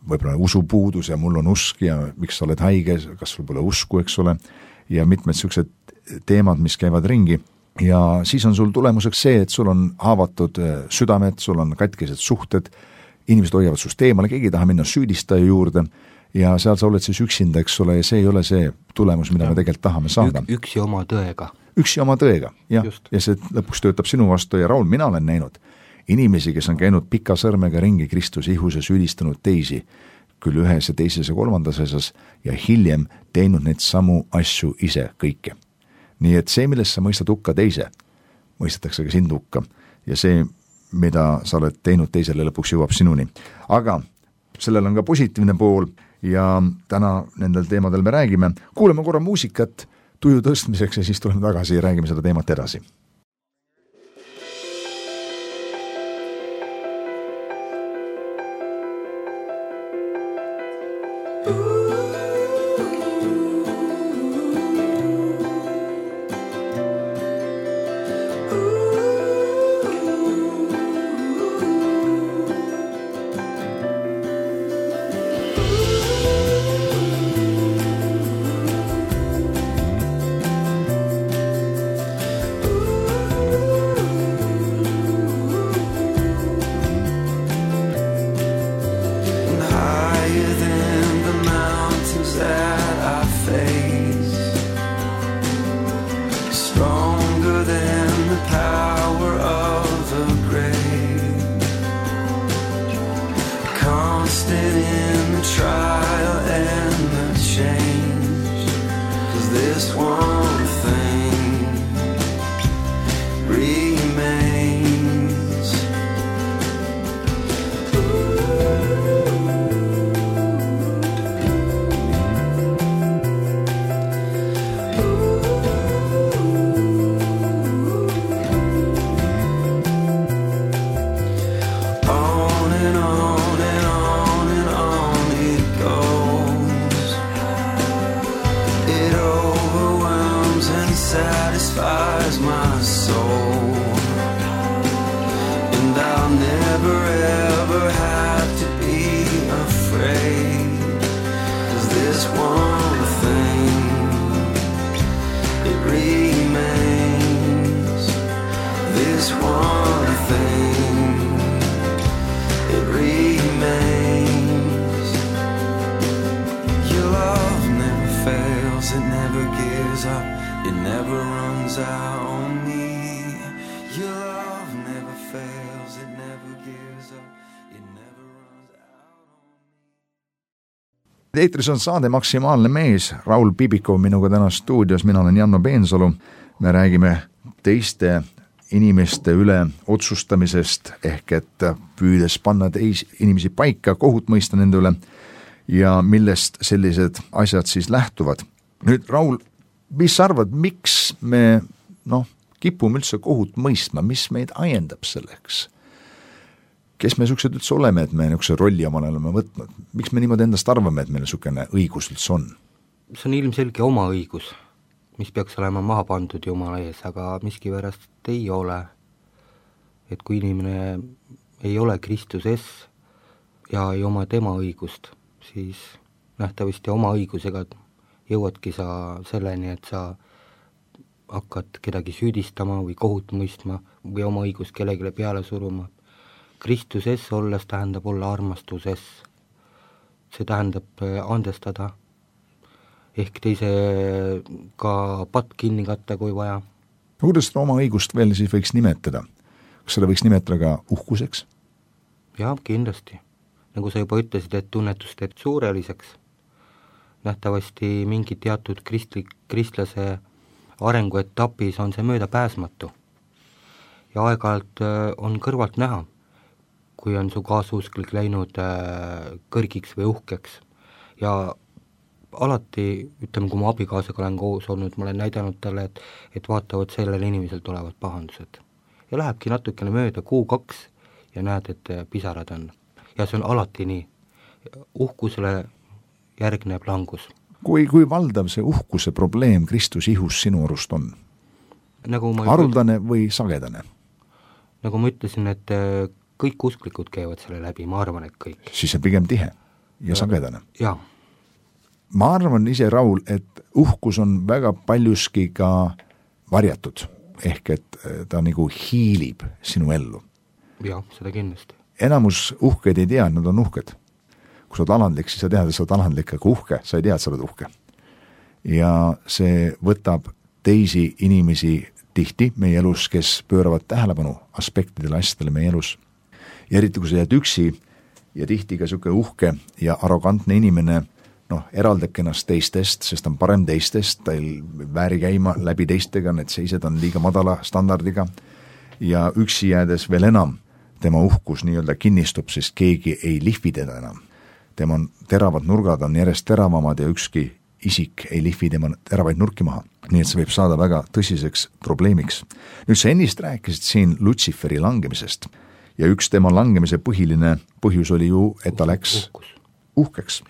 võib-olla usupuudus ja mul on usk ja miks sa oled haige, kas sul pole usku, eks ole, ja mitmed sellised teemad, mis käivad ringi ja siis on sul tulemuseks see, et sul on haavatud südamed, sul on katkised suhted, inimesed hoiavad sust eemale, keegi ei taha minna süüdistaja juurde ja seal sa oled siis üksinda, eks ole, ja see ei ole see tulemus, mida me tegelikult tahame saada. Üksi oma tõega, jah, ja see lõpuks töötab sinu vastu ja Raul, mina olen näinud inimesi, kes on käinud pika sõrmega ringi Kristuse ihus ja süüdistanud teisi, küll ühes ja teises ja kolmandas asjas ja hiljem teinud neid samu asju ise kõike. Nii et see, millest sa mõistad hukka teise, mõistetakse ka sind hukka ja see, mida sa oled teinud teisele, lõpuks jõuab sinuni. Aga sellel on ka positiivne pool ja täna nendel teemadel me räägime. Kuuleme korra muusikat tuju tõstmiseks ja siis tuleme tagasi ja räägime seda teemat edasi. Eetris on saade Maksimaalne mees, Raul Bibikov minuga täna stuudios, mina olen Janno Peensalu, me räägime teiste inimeste üle otsustamisest, ehk et püüdes panna teisi inimesi paika, kohut mõista nende üle ja millest sellised asjad siis lähtuvad. Nüüd Raul, mis sa arvad, miks me kipume üldse kohut mõistma, mis meid ajendab selleks? Kes me niisugused üldse oleme, et me niisuguse rolli omale oleme võtnud? Miks me niimoodi endast arvame, et meil niisugune õigus üldse on? See on ilmselge oma õigus, mis peaks olema maha pandud Jumala ees, aga miskipärast ei ole. Et kui inimene ei ole Kristuses, ja ei oma tema õigust, siis nähtavasti oma õigusega jõuadki sa selleni, et sa hakkad kedagi süüdistama või kohut mõistma või oma õigust kellelegi peale suruma. Kristuses olles tähendab olla armastuses. See tähendab andestada, ehk teisega patt kinni katta, kui vaja. Kuidas seda oma õigust veel siis võiks nimetada? Kas seda võiks nimetada ka uhkuseks? Jah, kindlasti. Nagu sa juba ütlesid, et tunnetust teeb suureliseks. Nähtavasti mingi teatud kristlase arenguetapis on see möödapääsmatu. Ja aeg-ajalt on kõrvalt näha, kui on su kaasusklik läinud kõrgiks või uhkeks. Ja alati, ütleme, kui ma abikaasaga olen koos olnud, ma olen näidanud talle, et vaatavad, sellele inimesel tulevad pahandused. Ja lähebki natukene mööda 2 ja näed, et pisarad on. Ja see on alati nii. Uhkusele järgneb langus. Kui valdav see uhkuse probleem Kristus ihus sinu arust on? Haruldane või sagedane? Nagu ma ütlesin, et kõik usklikud käivad selle läbi, ma arvan, et kõik. Siis see pigem tihe ja sagedane. Jaa. Ma arvan ise, Raul, et uhkus on väga paljuski ka varjatud, ehk et ta nagu hiilib sinu ellu. Jah, seda kindlasti. Enamus uhked ei tea, et nad on uhked. Kui sa oled alandlik, siis sa tead, et sa oled alandlik, aga uhke, sa ei tea, et sa oled uhke. Ja see võtab teisi inimesi tihti meie elus, kes pööravad tähelepanu aspektidele, asjadele meie elus. Ja eriti, kui sa jääd üksi ja tihti ka siuke uhke ja arrogantne inimene, eraldab ennast teistest, sest on parem teistest, ta ei vääri käima läbi teistega, need seised on liiga madala standardiga ja üksi jäädes veel enam tema uhkus nii-öelda kinnistub, sest keegi ei lihvi teda enam. Tema teravad nurgad on järjest teravamad ja ükski isik ei lihvi tema teravaid nurki maha. Nii et see võib saada väga tõsiseks probleemiks. Nüüd sa ennist rääkisid siin Lutsiferi langemisest ja üks tema langemise põhiline põhjus oli ju, et ta läks uhkeks.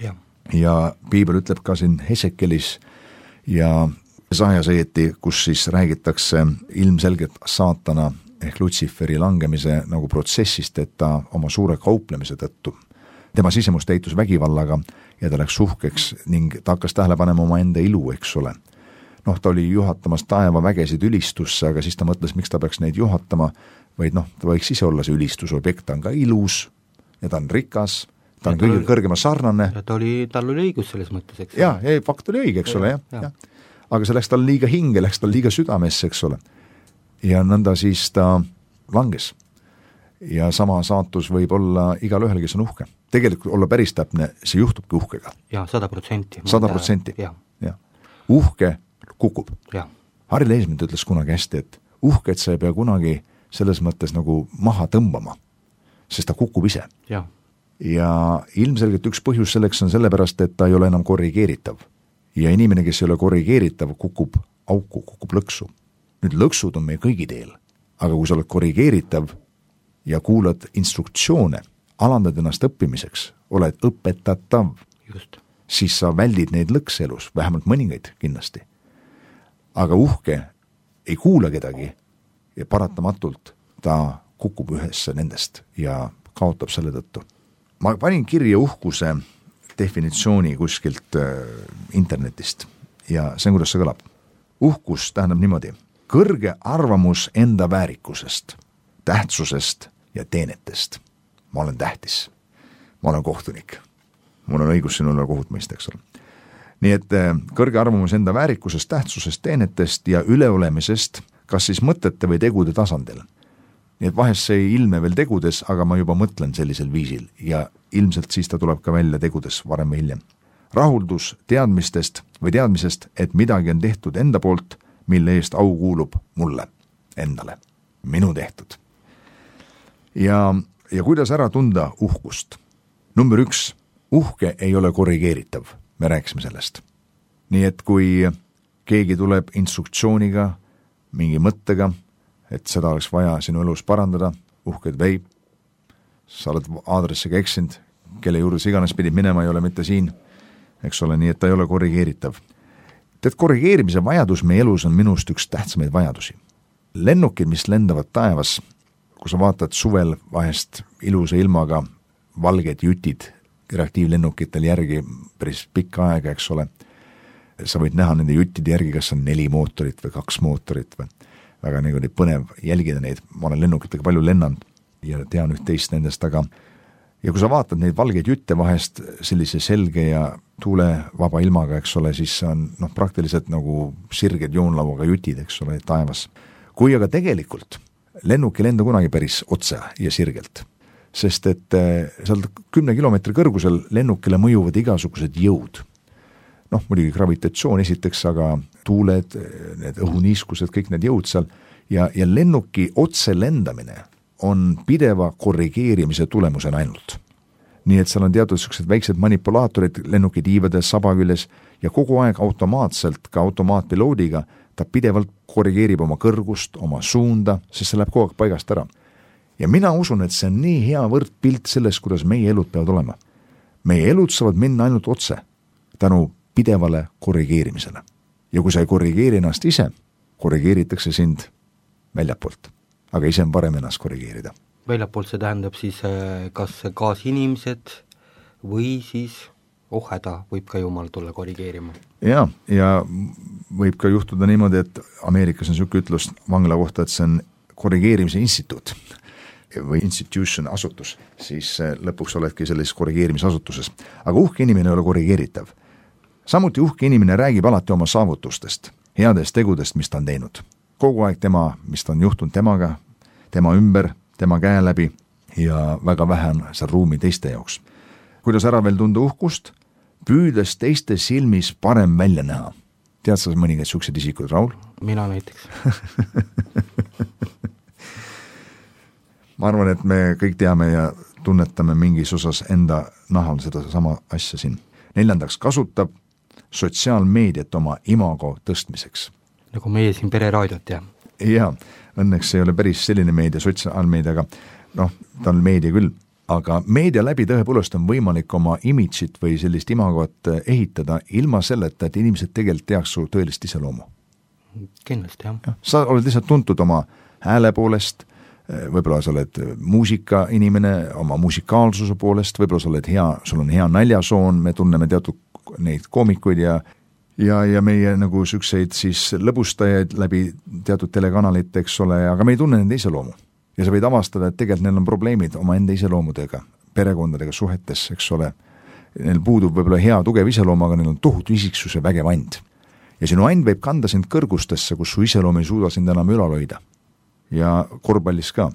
Ja piibel ütleb ka siin Hesekelis ja Jesajas õieti, kus siis räägitakse ilmselgelt saatana ehk Lutsiferi langemise nagu protsessist, et ta oma suure kauplemise tõttu tema sisemust täitus vägivallaga ja ta läks uhkeks ning ta hakkas tähele panema oma enda ilu, eks ole. Ta oli juhatamas taevavägesid ülistusse, aga siis ta mõtles, miks ta peaks neid juhatama, vaid ta võiks ise olla see ülistusobjekt, ta on ka ilus ja ta on rikas, ta on kõige kõrgema sarnane. Ja tal oli õigus selles mõttes, eks ole. Ja, fakt oli õige, eks ole, jah. Aga see läks tal liiga hinge, läks tal liiga südamesse, eks ole. Ja nõnda siis ta langes. Ja sama saatus võib olla igal ühel, kes on uhke. Tegelikult olla päris täpne, see juhtubki uhkega. Jaa, 100%. 100%. Ja. Uhke kukub. Harri Leesmint ütles kunagi hästi, et uhket sa ei pea kunagi selles mõttes nagu maha tõmbama, sest ta kukub ise. Ja ilmselgelt üks põhjus selleks on sellepärast, et ta ei ole enam korrigeeritav. Ja inimene, kes ei ole korrigeeritav, kukub auku, kukub lõksu. Nüüd lõksud on meie kõigi teel, aga kui sa oled korrigeeritav ja kuulad instruktsioone, alandad ennast õppimiseks, oled õpetatav, siis sa väldid neid lõkse elus, vähemalt mõningaid kindlasti. Aga uhke ei kuula kedagi ja paratamatult ta kukub ühesse nendest ja kaotab selle tõttu. Ma panin kirja uhkuse definitsiooni kuskilt internetist ja see on, kuidas see kõlab. Uhkus tähendab niimoodi: kõrge arvamus enda väärikusest, tähtsusest ja teenetest. Ma olen tähtis, ma olen kohtunik, mul on õigus sinule kohut mõista, eks ole. Nii et kõrge arvamus enda väärikusest, tähtsusest, teenetest ja üleolemisest, kas siis mõtete või tegude tasandil. Nii et vahest see ei ilme veel tegudes, aga ma juba mõtlen sellisel viisil ja ilmselt siis ta tuleb ka välja tegudes varem või hiljem. Rahuldus teadmisest, et midagi on tehtud enda poolt, mille eest au kuulub mulle, endale, minu tehtud. Ja kuidas ära tunda uhkust? Number 1, uhke ei ole korrigeeritav, me rääkisime sellest. Nii et kui keegi tuleb instruktsiooniga, mingi mõttega, et seda oleks vaja sinu elus parandada, uhked vei, sa oled aadressiga eksinud, kelle juures iganes pidid minema, ei ole mitte siin, eks ole, nii et ta ei ole korrigeeritav. Tead, korrigeerimise vajadus meie elus on minust üks tähtsamaid vajadusi. Lennukid, mis lendavad taevas, kui sa vaatad suvel vahest ilusa ilmaga valged jutid reaktiivlennukitel järgi päris pikka aega, eks ole. Sa võid näha nende juttide järgi, kas on 4 mootorit või 2 mootorit või väga nagu põnev jälgida neid. Ma olen lennukitega palju lennanud ja tean üht-teist nendest, aga ja kui sa vaatad neid valgeid jutte vahest sellise selge ja tuulevaba ilmaga, eks ole, siis on praktiliselt nagu sirged joonlauaga jutid, eks ole, taevas. Kui aga tegelikult lennuk ei lenda kunagi päris otse ja sirgelt, sest et seal 10 kilomeetri kõrgusel lennukile mõjuvad igasugused jõud. Muidugi gravitatsioon esiteks, aga tuuled, need õhuniiskused, kõik need jõud seal ja lennuki otse lendamine on pideva korrigeerimise tulemusena ainult. Nii et seal on teatud sellised väiksed manipulaatorid lennuki tiivades, saba küljes ja kogu aeg automaatselt, ka automaatpiloodiga, ta pidevalt korrigeerib oma kõrgust, oma suunda, sest see läheb kogu aeg paigast ära. Ja mina usun, et see on nii hea võrdpilt sellest, kuidas meie elud peavad olema. Meie elud saavad minna ainult otse, tänu pidevale korrigeerimisele. Ja kui sa ei korrigeeri ennast ise, korrigeeritakse sind väljapoolt. Aga ise on parem ennast korrigeerida. Väljapoolt see tähendab siis kas kaasinimesed või siis häda võib ka jumal tulla korrigeerima. Ja võib ka juhtuda niimoodi, et Ameerikas on selline ütlus vangla kohta, et see on korrigeerimise instituut või institution, asutus, siis lõpuks oledki sellises korrigeerimisasutuses. Aga uhke inimene ei ole korrigeeritav. Samuti uhke inimene räägib alati oma saavutustest, headest tegudest, mis ta on teinud. Kogu aeg mis ta on juhtunud temaga, tema ümber, tema käe läbi ja väga vähe on seal ruumi teiste jaoks. Kuidas ära veel tunda uhkust? Püüdes teiste silmis parem välja näha. Tead sa mõningaid siuksed isikud, Raul? Mina näiteks. Ma arvan, et me kõik teame ja tunnetame mingis osas enda nahal seda sama asja siin. 4. kasutab sotsiaalmeediat oma imago tõstmiseks. Nagu meie siin pereraadiot, jah? Jaa, õnneks ei ole päris selline meedia, sotsiaalmeediaga, ta on meedia küll, aga meedia läbi tõepoolest on võimalik oma imidžit või sellist imagot ehitada ilma selleta, et inimesed tegelikult teaks su tõelist iseloomu. Kindlasti, jah. Sa oled lihtsalt tuntud oma hääle poolest, võib-olla sa oled muusika inimene oma musikaalsuse poolest, võib-olla sa oled sul on hea naljasoon, me tunneme teatud neid koomikuid ja meie nagu sükseid siis lõbustajaid läbi teatud telekanalite, eks ole, aga me ei tunne nende iseloomu. Ja sa võid avastada, et tegelikult neil on probleemid oma enda iseloomudega, perekondadega, suhetes, eks ole. Neil puudub võib-olla hea tugev iseloom, aga neil on tohutu isiksuse vägev and. Ja sinu and võib kanda sind kõrgustesse, kus su iseloom ei suuda sind enam ülal hoida. Ja korvpallis ka,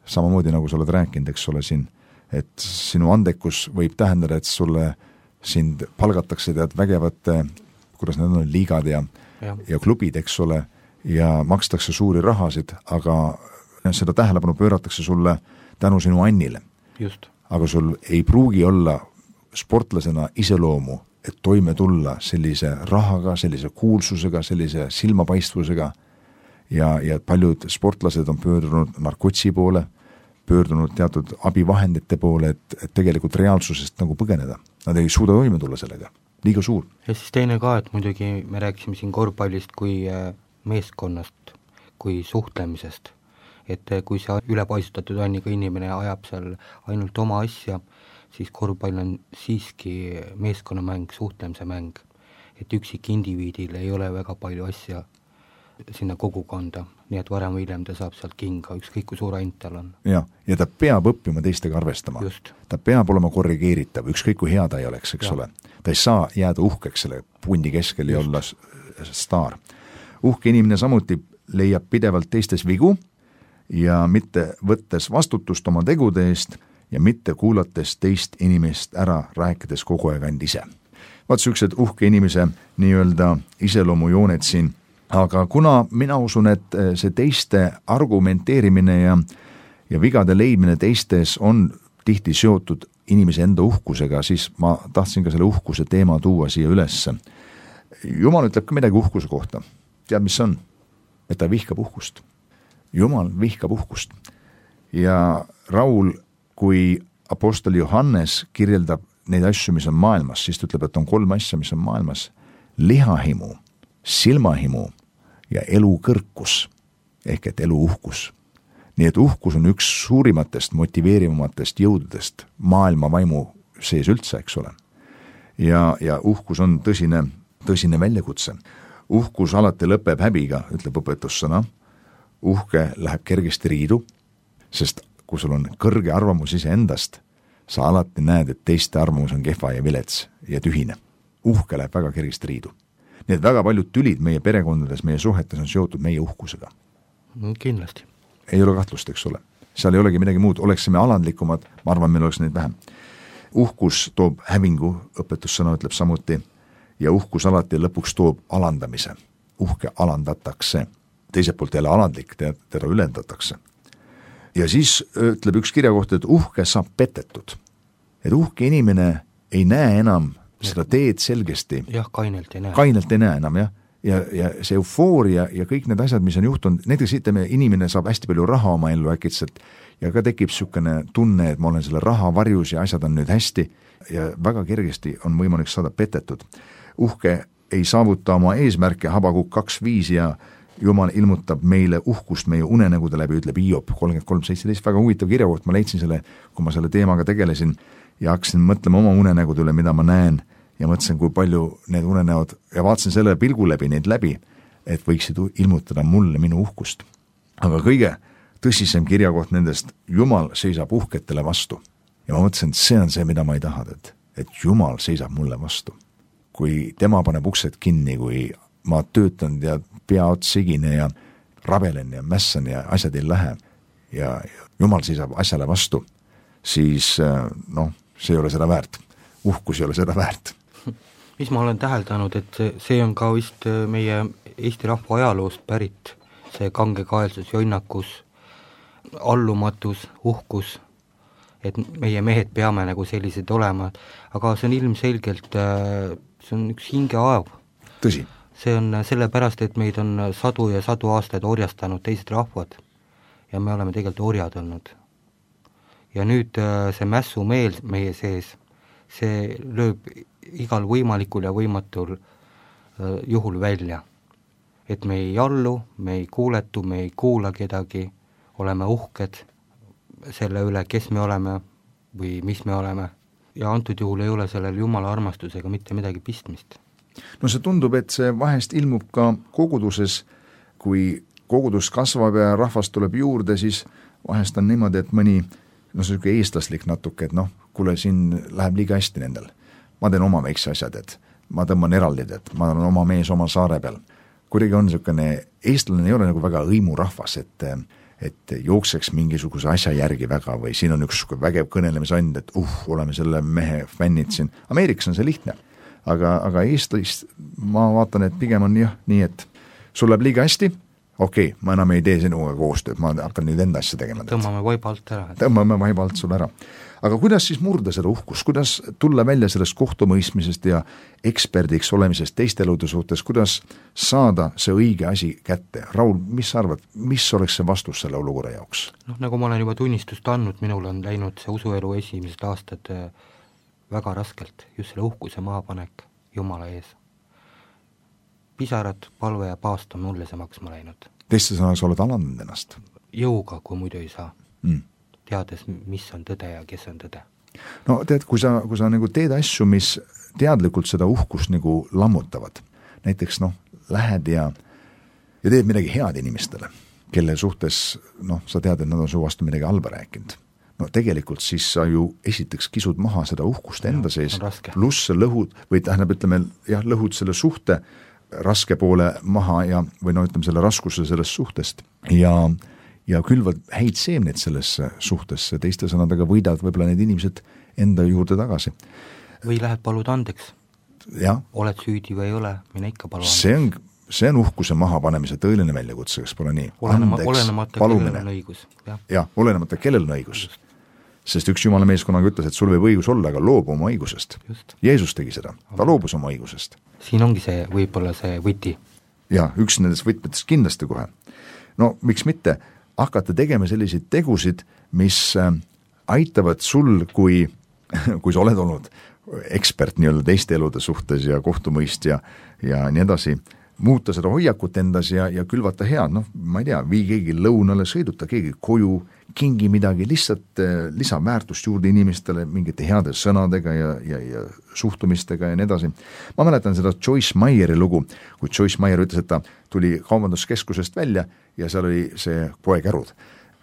samamoodi nagu sa oled rääkinud, eks ole siin, et sinu andekus võib tähendada, et sind palgatakse tead vägevate, kuidas need on, liigad ja klubid, eks ole, ja makstakse suuri rahasid, aga seda tähelepanu pööratakse sulle tänu sinu annile. Just. Aga sul ei pruugi olla sportlasena iseloomu, et toime tulla sellise rahaga, sellise kuulsusega, sellise silmapaistvusega ja paljud sportlased on pöördunud narkotsi poole, pöördunud teatud abivahendite poole, et tegelikult reaalsusest nagu põgeneda. Nad ei suuda toime tulla sellega. Liiga suur. Ja siis teine ka, et muidugi me rääkisime siin korvpallist kui meeskonnast, kui suhtlemisest. Et kui see ülepaisutatud on iga inimene ajab seal ainult oma asja, siis korvpall on siiski meeskonnamäng, suhtlemise mäng. Et üksik indiviidil ei ole väga palju asja sinna kogukonda, nii et varem või hiljem ta saab sealt kinga, ükskõik kui suur ant tal on. Ja ta peab õppima teistega arvestama. Just. Ta peab olema korrigeeritav, ükskõik kui hea ta ei oleks, eks ole. Ta ei saa jääda uhkeks selle pundi keskel ja olla staar. Uhke inimene samuti leiab pidevalt teistes vigu ja mitte võttes vastutust oma tegude eest ja mitte kuulates teist inimest ära, rääkides kogu aeg and ise. Vaat sellised uhke inimese nii-öelda iseloomujooned siin. Aga kuna mina usun, et see teiste argumenteerimine ja vigade leidmine teistes on tihti seotud inimese enda uhkusega, siis ma tahtsin ka selle uhkuse teema tuua siia ülesse. Jumal ütleb ka midagi uhkuse kohta. Tead, mis on? Et ta vihkab uhkust. Jumal vihkab uhkust. Ja Raul, kui apostel Johannes kirjeldab neid asju, mis on maailmas, siis ta ütleb, et on 3 asja, mis on maailmas. Lihahimu, silmahimu ja elu kõrkus, ehk et elu uhkus. Nii et uhkus on üks suurimatest motiveerivamatest jõududest maailma vaimu sees üldse, eks ole. Ja uhkus on tõsine väljakutse. Uhkus alati lõpeb häbiga, ütleb õpetussõna. Uhke läheb kergesti riidu, sest kui sul on kõrge arvamus iseendast, sa alati näed, et teiste arvamus on kehva ja vilets ja tühine. Uhke läheb väga kergesti riidu. Nii et väga paljud tülid meie perekondades, meie suhetes on seotud meie uhkusega. Kindlasti. Ei ole kahtlust, eks ole. Seal ei olegi midagi muud, oleksime alandlikumad, ma arvan, meil oleks neid vähem. Uhkus toob hävingu, õpetussõna ütleb samuti, ja uhkus alati lõpuks toob alandamise. Uhke alandatakse. Teiselt poolt jälle alandlik, teda ülendatakse. Ja siis ütleb üks kirjakoht, et uhke saab petetud. Et uhke inimene ei näe enam seda teed selgesti. Jah, kainelt ei näe. Kainelt ei näe enam, jah. Ja see eufooria ja kõik need asjad, mis on juhtunud, näiteks ütleme, inimene saab hästi palju raha oma ellu äkitselt ja ka tekib niisugune tunne, et ma olen selle raha varjus ja asjad on nüüd hästi ja väga kergesti on võimalik saada petetud. Uhke ei saavuta oma eesmärke, Habakuk 2.5 ja Jumal ilmutab meile uhkust meie unenägude läbi, ütleb Hiob 33.17, väga huvitav kirjakoht, ma leidsin selle, kui ma selle teemaga tegelesin ja hakkasin mõtlema oma unenägude üle, mida ma näen ja mõtlesin, kui palju need unenäod ja vaatasin selle pilgu läbi neid läbi, et võiksid ilmutada mulle minu uhkust. Aga kõige tõsisem kirjakoht nendest, Jumal seisab uhketele vastu. Ja ma mõtlesin, et see on see, mida ma ei taha, et Jumal seisab mulle vastu. Kui tema paneb uksed kinni, kui ma töötan ja pea ots sigine ja rabelen ja mässan ja asjad ei lähe ja Jumal seisab asjale vastu, siis see ei ole seda väärt. Uhkus ei ole seda väärt. Mis ma olen täheldanud, et see on ka vist meie Eesti rahva ajaloost pärit, see kangekaelsus, jonnakus, allumatus, uhkus, et meie mehed peame nagu sellised olema, aga see on ilmselgelt, see on üks hingeaev. Tõsi. See on sellepärast, et meid on sadu ja sadu aastaid orjastanud teised rahvad ja me oleme tegelikult orjad olnud. Ja nüüd see mässumeel meie sees, see lööb igal võimalikul ja võimatul juhul välja. Et me ei allu, me ei kuuletu, me ei kuula kedagi, oleme uhked selle üle, kes me oleme või mis me oleme. Ja antud juhul ei ole sellel Jumala armastusega mitte midagi pistmist. No see tundub, et see vahest ilmub ka koguduses, kui kogudus kasvab ja rahvast tuleb juurde, siis vahest on niimoodi, et mõni see eestlaslik natuke, et kuule, siin läheb liiga hästi nendel. Ma teen oma väikse asjad, et ma tõmban eraldid, et ma olen oma mees oma saare peal. Kuidagi on niisugune, eestlane ei ole nagu väga õimurahvas, et jookseks mingisuguse asja järgi väga või siin on üks vägev kõnelemisand, et oleme selle mehe fännid siin. Ameerikas on see lihtne, aga Eestis ma vaatan, et pigem on nii, et sul läheb liiga hästi, okei, ma enam ei tee sinuga koostööd, ma hakkan nüüd enda asja tegema. Tõmbame vaiba alt ära. Tõmbame vaiba alt sul ära. Aga kuidas siis murda seda uhkust, kuidas tulla välja sellest kohtumõistmisest ja eksperdiks olemisest teiste elude suhtes, kuidas saada see õige asi kätte? Raul, mis sa arvad, mis oleks see vastus selle olukorra jaoks? Nagu ma olen juba tunnistust andnud, minul on läinud see usuelu esimesed aastad väga raskelt, just selle uhkuse maapanek Jumala ees. Pisarad, palve ja paast on mulle see maksma läinud. Teiste sõnas oled alandanud ennast? Jõuga, kui muidu ei saa. Teades, mis on tõde ja kes on tõde. No tead, kui sa nagu teed asju, mis teadlikult seda uhkust nagu lammutavad, näiteks lähed ja teed midagi head inimestele, kelle suhtes sa tead, et nad on su vastu midagi halba rääkinud. Tegelikult siis sa ju esiteks kisud maha seda uhkust enda sees, pluss lõhud, või lõhud selle suhte raske poole maha või selle raskuse sellest suhtest ja külvad häid seemneid sellesse suhtesse, teiste sõnadega võidad võib-olla need inimesed enda juurde tagasi. Või lähed palud andeks. Ja. Oled süüdi või ei ole, mine ikka palu andeks. See on uhkuse mahapanemise tõeline väljakutse, kas pole nii? Olenemata kellel on õigus. Olenemata kellel on õigus. Sest üks Jumala mees kunagi ütles, et sul võib õigus olla, aga loobu oma õigusest. Jeesus tegi seda, ta loobus oma õigusest. Siin ongi see võib-olla see võti. Ja, üks nendest võtmetest kindlasti kohe. Miks mitte hakata tegema selliseid tegusid, mis aitavad sul, kui sa oled olnud ekspert nii-öelda teiste elude suhtes ja kohtumõist ja nii edasi, muuta seda hoiakut endas ja külvata head, ma ei tea, vii keegi lõunale, sõiduta keegi koju, kingi midagi, lihtsalt lisaväärtust juurde inimestele mingite heade sõnadega ja suhtumistega ja nii edasi. Ma mäletan seda Joyce Meyeri lugu, kui Joyce Meyer ütles, et ta tuli kaubanduskeskusest välja ja seal oli see poekärud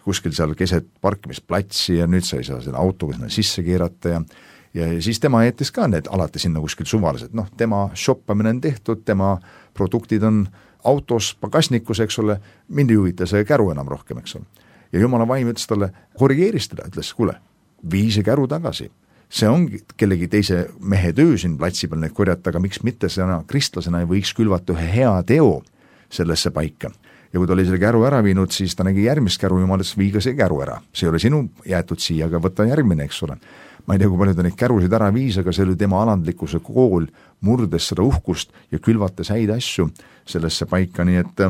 kuskil seal keset parkimisplatsi ja nüüd sa ei saa selle autoga sinna sisse keerata ja siis tema jättis ka need alati sinna kuskil suvalised, tema shoppamine on tehtud, tema produktid on autos, pagasnikus, eks ole, mind ei huvita see käru enam rohkem, eks ole. Ja jumala vaim ütles talle, korrigeeris teda, ütles, kuule, vii see käru tagasi. See ongi kellegi teise mehe töö siin platsi peal neid korjata, aga miks mitte sena kristlasena ei võiks külvata ühe hea teo sellesse paika. Ja kui ta oli selle käru ära viinud, siis ta nägi järgmist käru, jumalast viiga see käru ära. See ei ole sinu jäetud siia, aga võtta järgmine, eks ole. Ma ei tea, kui palju ta neid kärusid ära viis, aga see oli tema alandlikkuse kool, murdes seda uhkust ja külvates häid asju sellesse paika, nii et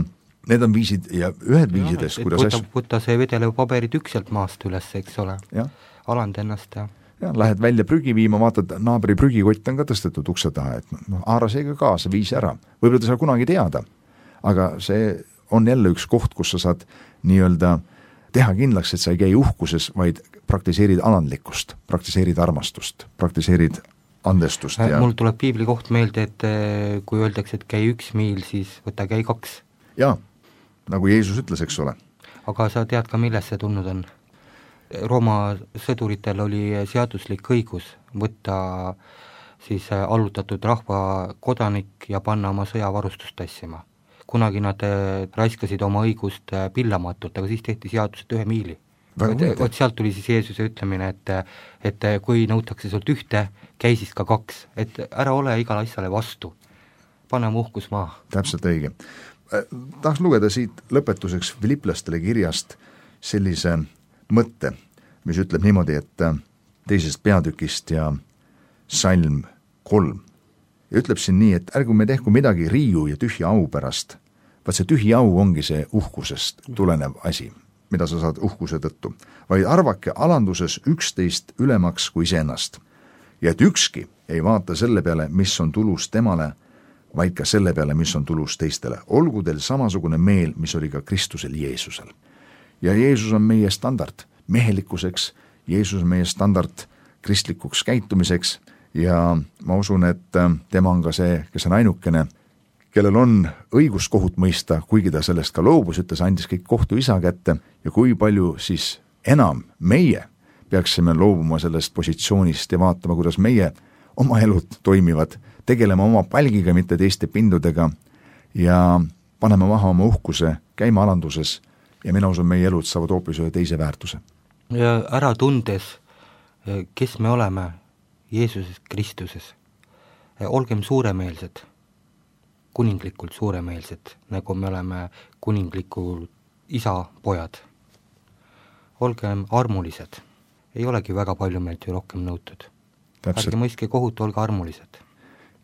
need on viisid ja ühed viisidest, kuidas võtta see vedelevpaberi tükk sealt maast üles, eks ole, aland ennast ja lähed välja prügi viima, vaatad, naabri prügikott on ka tõstetud ukse taha, et haara seega kaasa, viisi ära. Võib-olla ta saab kunagi teada, aga see on jälle üks koht, kus sa saad nii-öelda teha kindlaks, et sa ei käi uhkuses, vaid praktiseerid alandlikkust, praktiseerid armastust, praktiseerid andestust. Mul tuleb piibli koht meelde, et kui öeldakse, et käi 1 miil, siis võta käi 2. Jaa, nagu Jeesus ütles, eks ole. Aga sa tead ka, milles see tulnud on? Rooma sõduritel oli seaduslik õigus võtta siis allutatud rahva kodanik ja panna oma sõjavarustust tassima. Kunagi nad raiskasid oma õigust pillamatult, aga siis tehti seadused 1 miili. Vot sealt tuli siis Jeesuse ütlemine, et kui nõutakse sult 1, käi siis ka 2, et ära ole igal asjale vastu, pane uhkus maha. Täpselt õige. Tahaks lugeda siit lõpetuseks Filiplastele kirjast sellise mõtte, mis ütleb niimoodi, et 2. peatükist ja salm 3. Ja ütleb siin nii, et ärgu me tehku midagi riiu ja tühja au pärast. Vaat see tühja au ongi see uhkusest tulenev asi, mida sa saad uhkuse tõttu. Vaid arvake alanduses 11 ülemaks kui iseennast. Ja et ükski ei vaata selle peale, mis on tulus temale, vaid ka selle peale, mis on tulus teistele. Olgu teil samasugune meel, mis oli ka Kristusel Jeesusel. Ja Jeesus on meie standard mehelikkuseks, Jeesus on meie standard kristlikuks käitumiseks ja ma usun, et tema on ka see, kes on ainukene, kellel on õigus kohut mõista, kuigi ta sellest ka loobus, et ta andis kõik kohtu isa kätte ja kui palju siis enam meie peaksime loobuma sellest positsioonist ja vaatama, kuidas meie oma elud toimivad, tegelema oma palgiga, mitte teiste pindudega ja panema maha oma uhkuse, käima alanduses ja mina usun, meie elud saavad hoopis ühe teise väärtuse. Ja ära tundes, kes me oleme Jeesuses Kristuses, olgem suuremeelsed, kuninglikult suuremeelsed, nagu me oleme kuninglikul isa pojad. Olgem armulised, ei olegi väga palju meilt ju rohkem nõutud. Ärge mõiske kohut, olge armulised.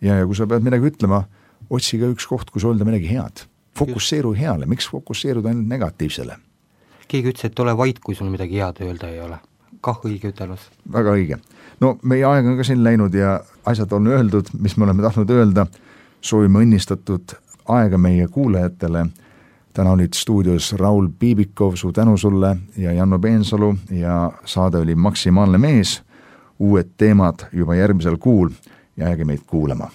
Ja kui sa pead midagi ütlema, otsi ka üks koht, kus öelda midagi head. Fokusseeru heale, miks fokusseeruda ainult negatiivsele? Keegi ütles, et ole vait, kui sul midagi head öelda ei ole. Kah õige ütelus. Väga õige. No meie aeg on ka siin läinud ja asjad on öeldud, mis me oleme tahtnud öelda. Soovime õnnistatud aega meie kuulajatele. Täna olid stuudios Raul Piibikov, su tänu sulle ja Janno Peensalu ja saade oli Maksimaalne mees. Uued teemad juba järgmisel kuul ja jääge meid kuulama.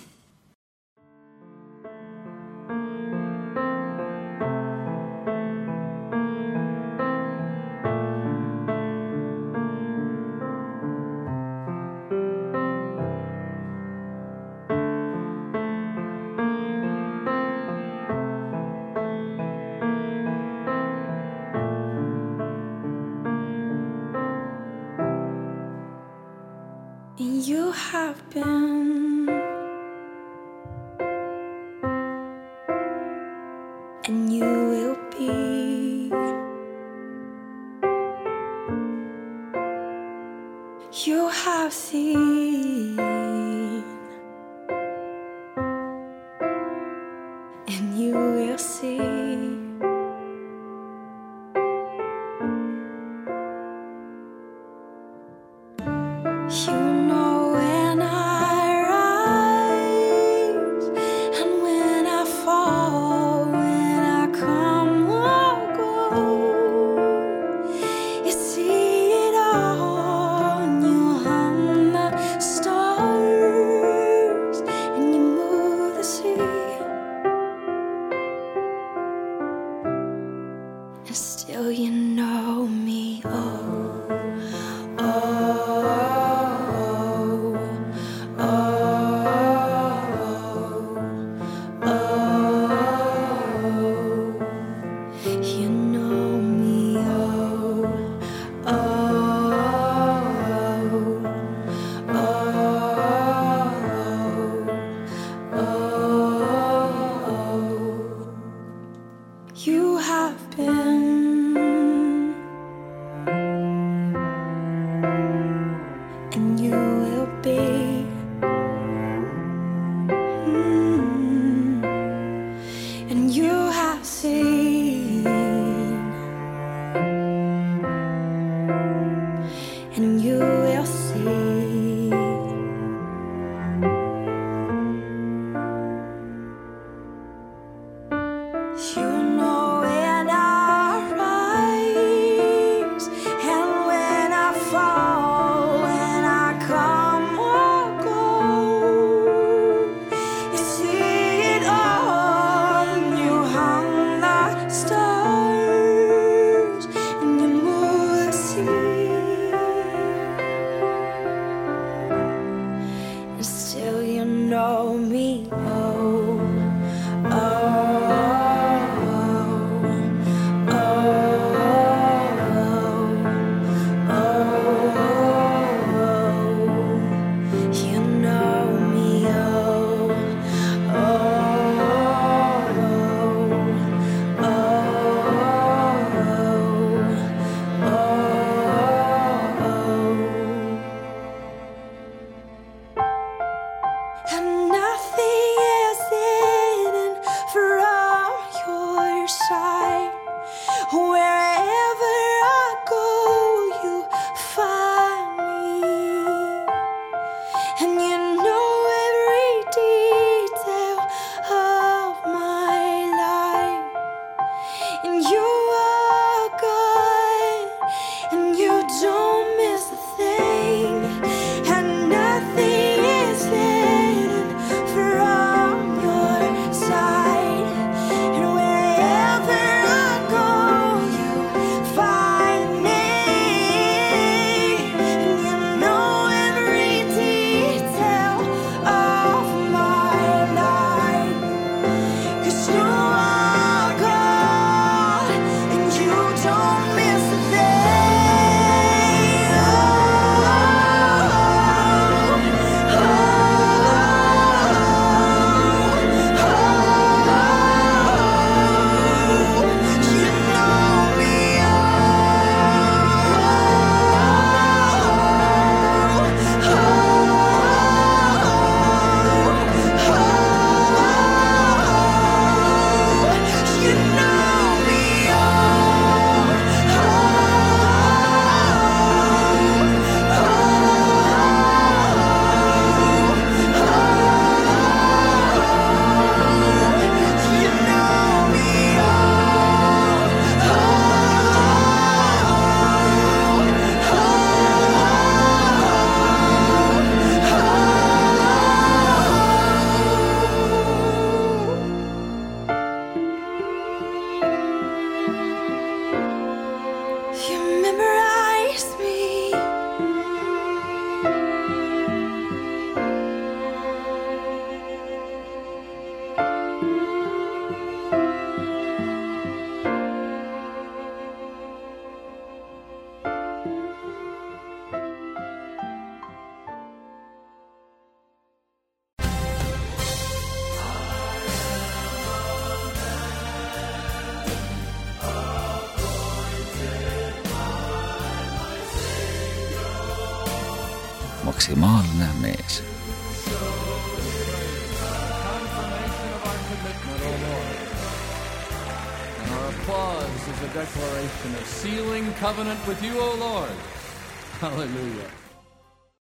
You have been, and you will be. You have seen, and you will see. You know when I rise and when I fall. still you know me. Oh, you know me. You have been, and you will be. And you have seen, and you will see. You know when I rise and when I fall, when I come or go. You see it all, and you hung the stars, and you move the sea. And still you know me. And nothing is hidden from your sight. Wherever I go, you find me. And you know every detail of my life. And you are God, and you don't miss a thing. And nothing is hidden from your sight. And wherever I go, you find me. And you know every detail of my life. 'Cause you are God, and you don't miss a thing. You know me. You know me. You know me. You memorize me. Maksimaalne mees. Confirmation of our commitment, O Lord. And our applause is a declaration of sealing covenant with you, O Lord. Hallelujah.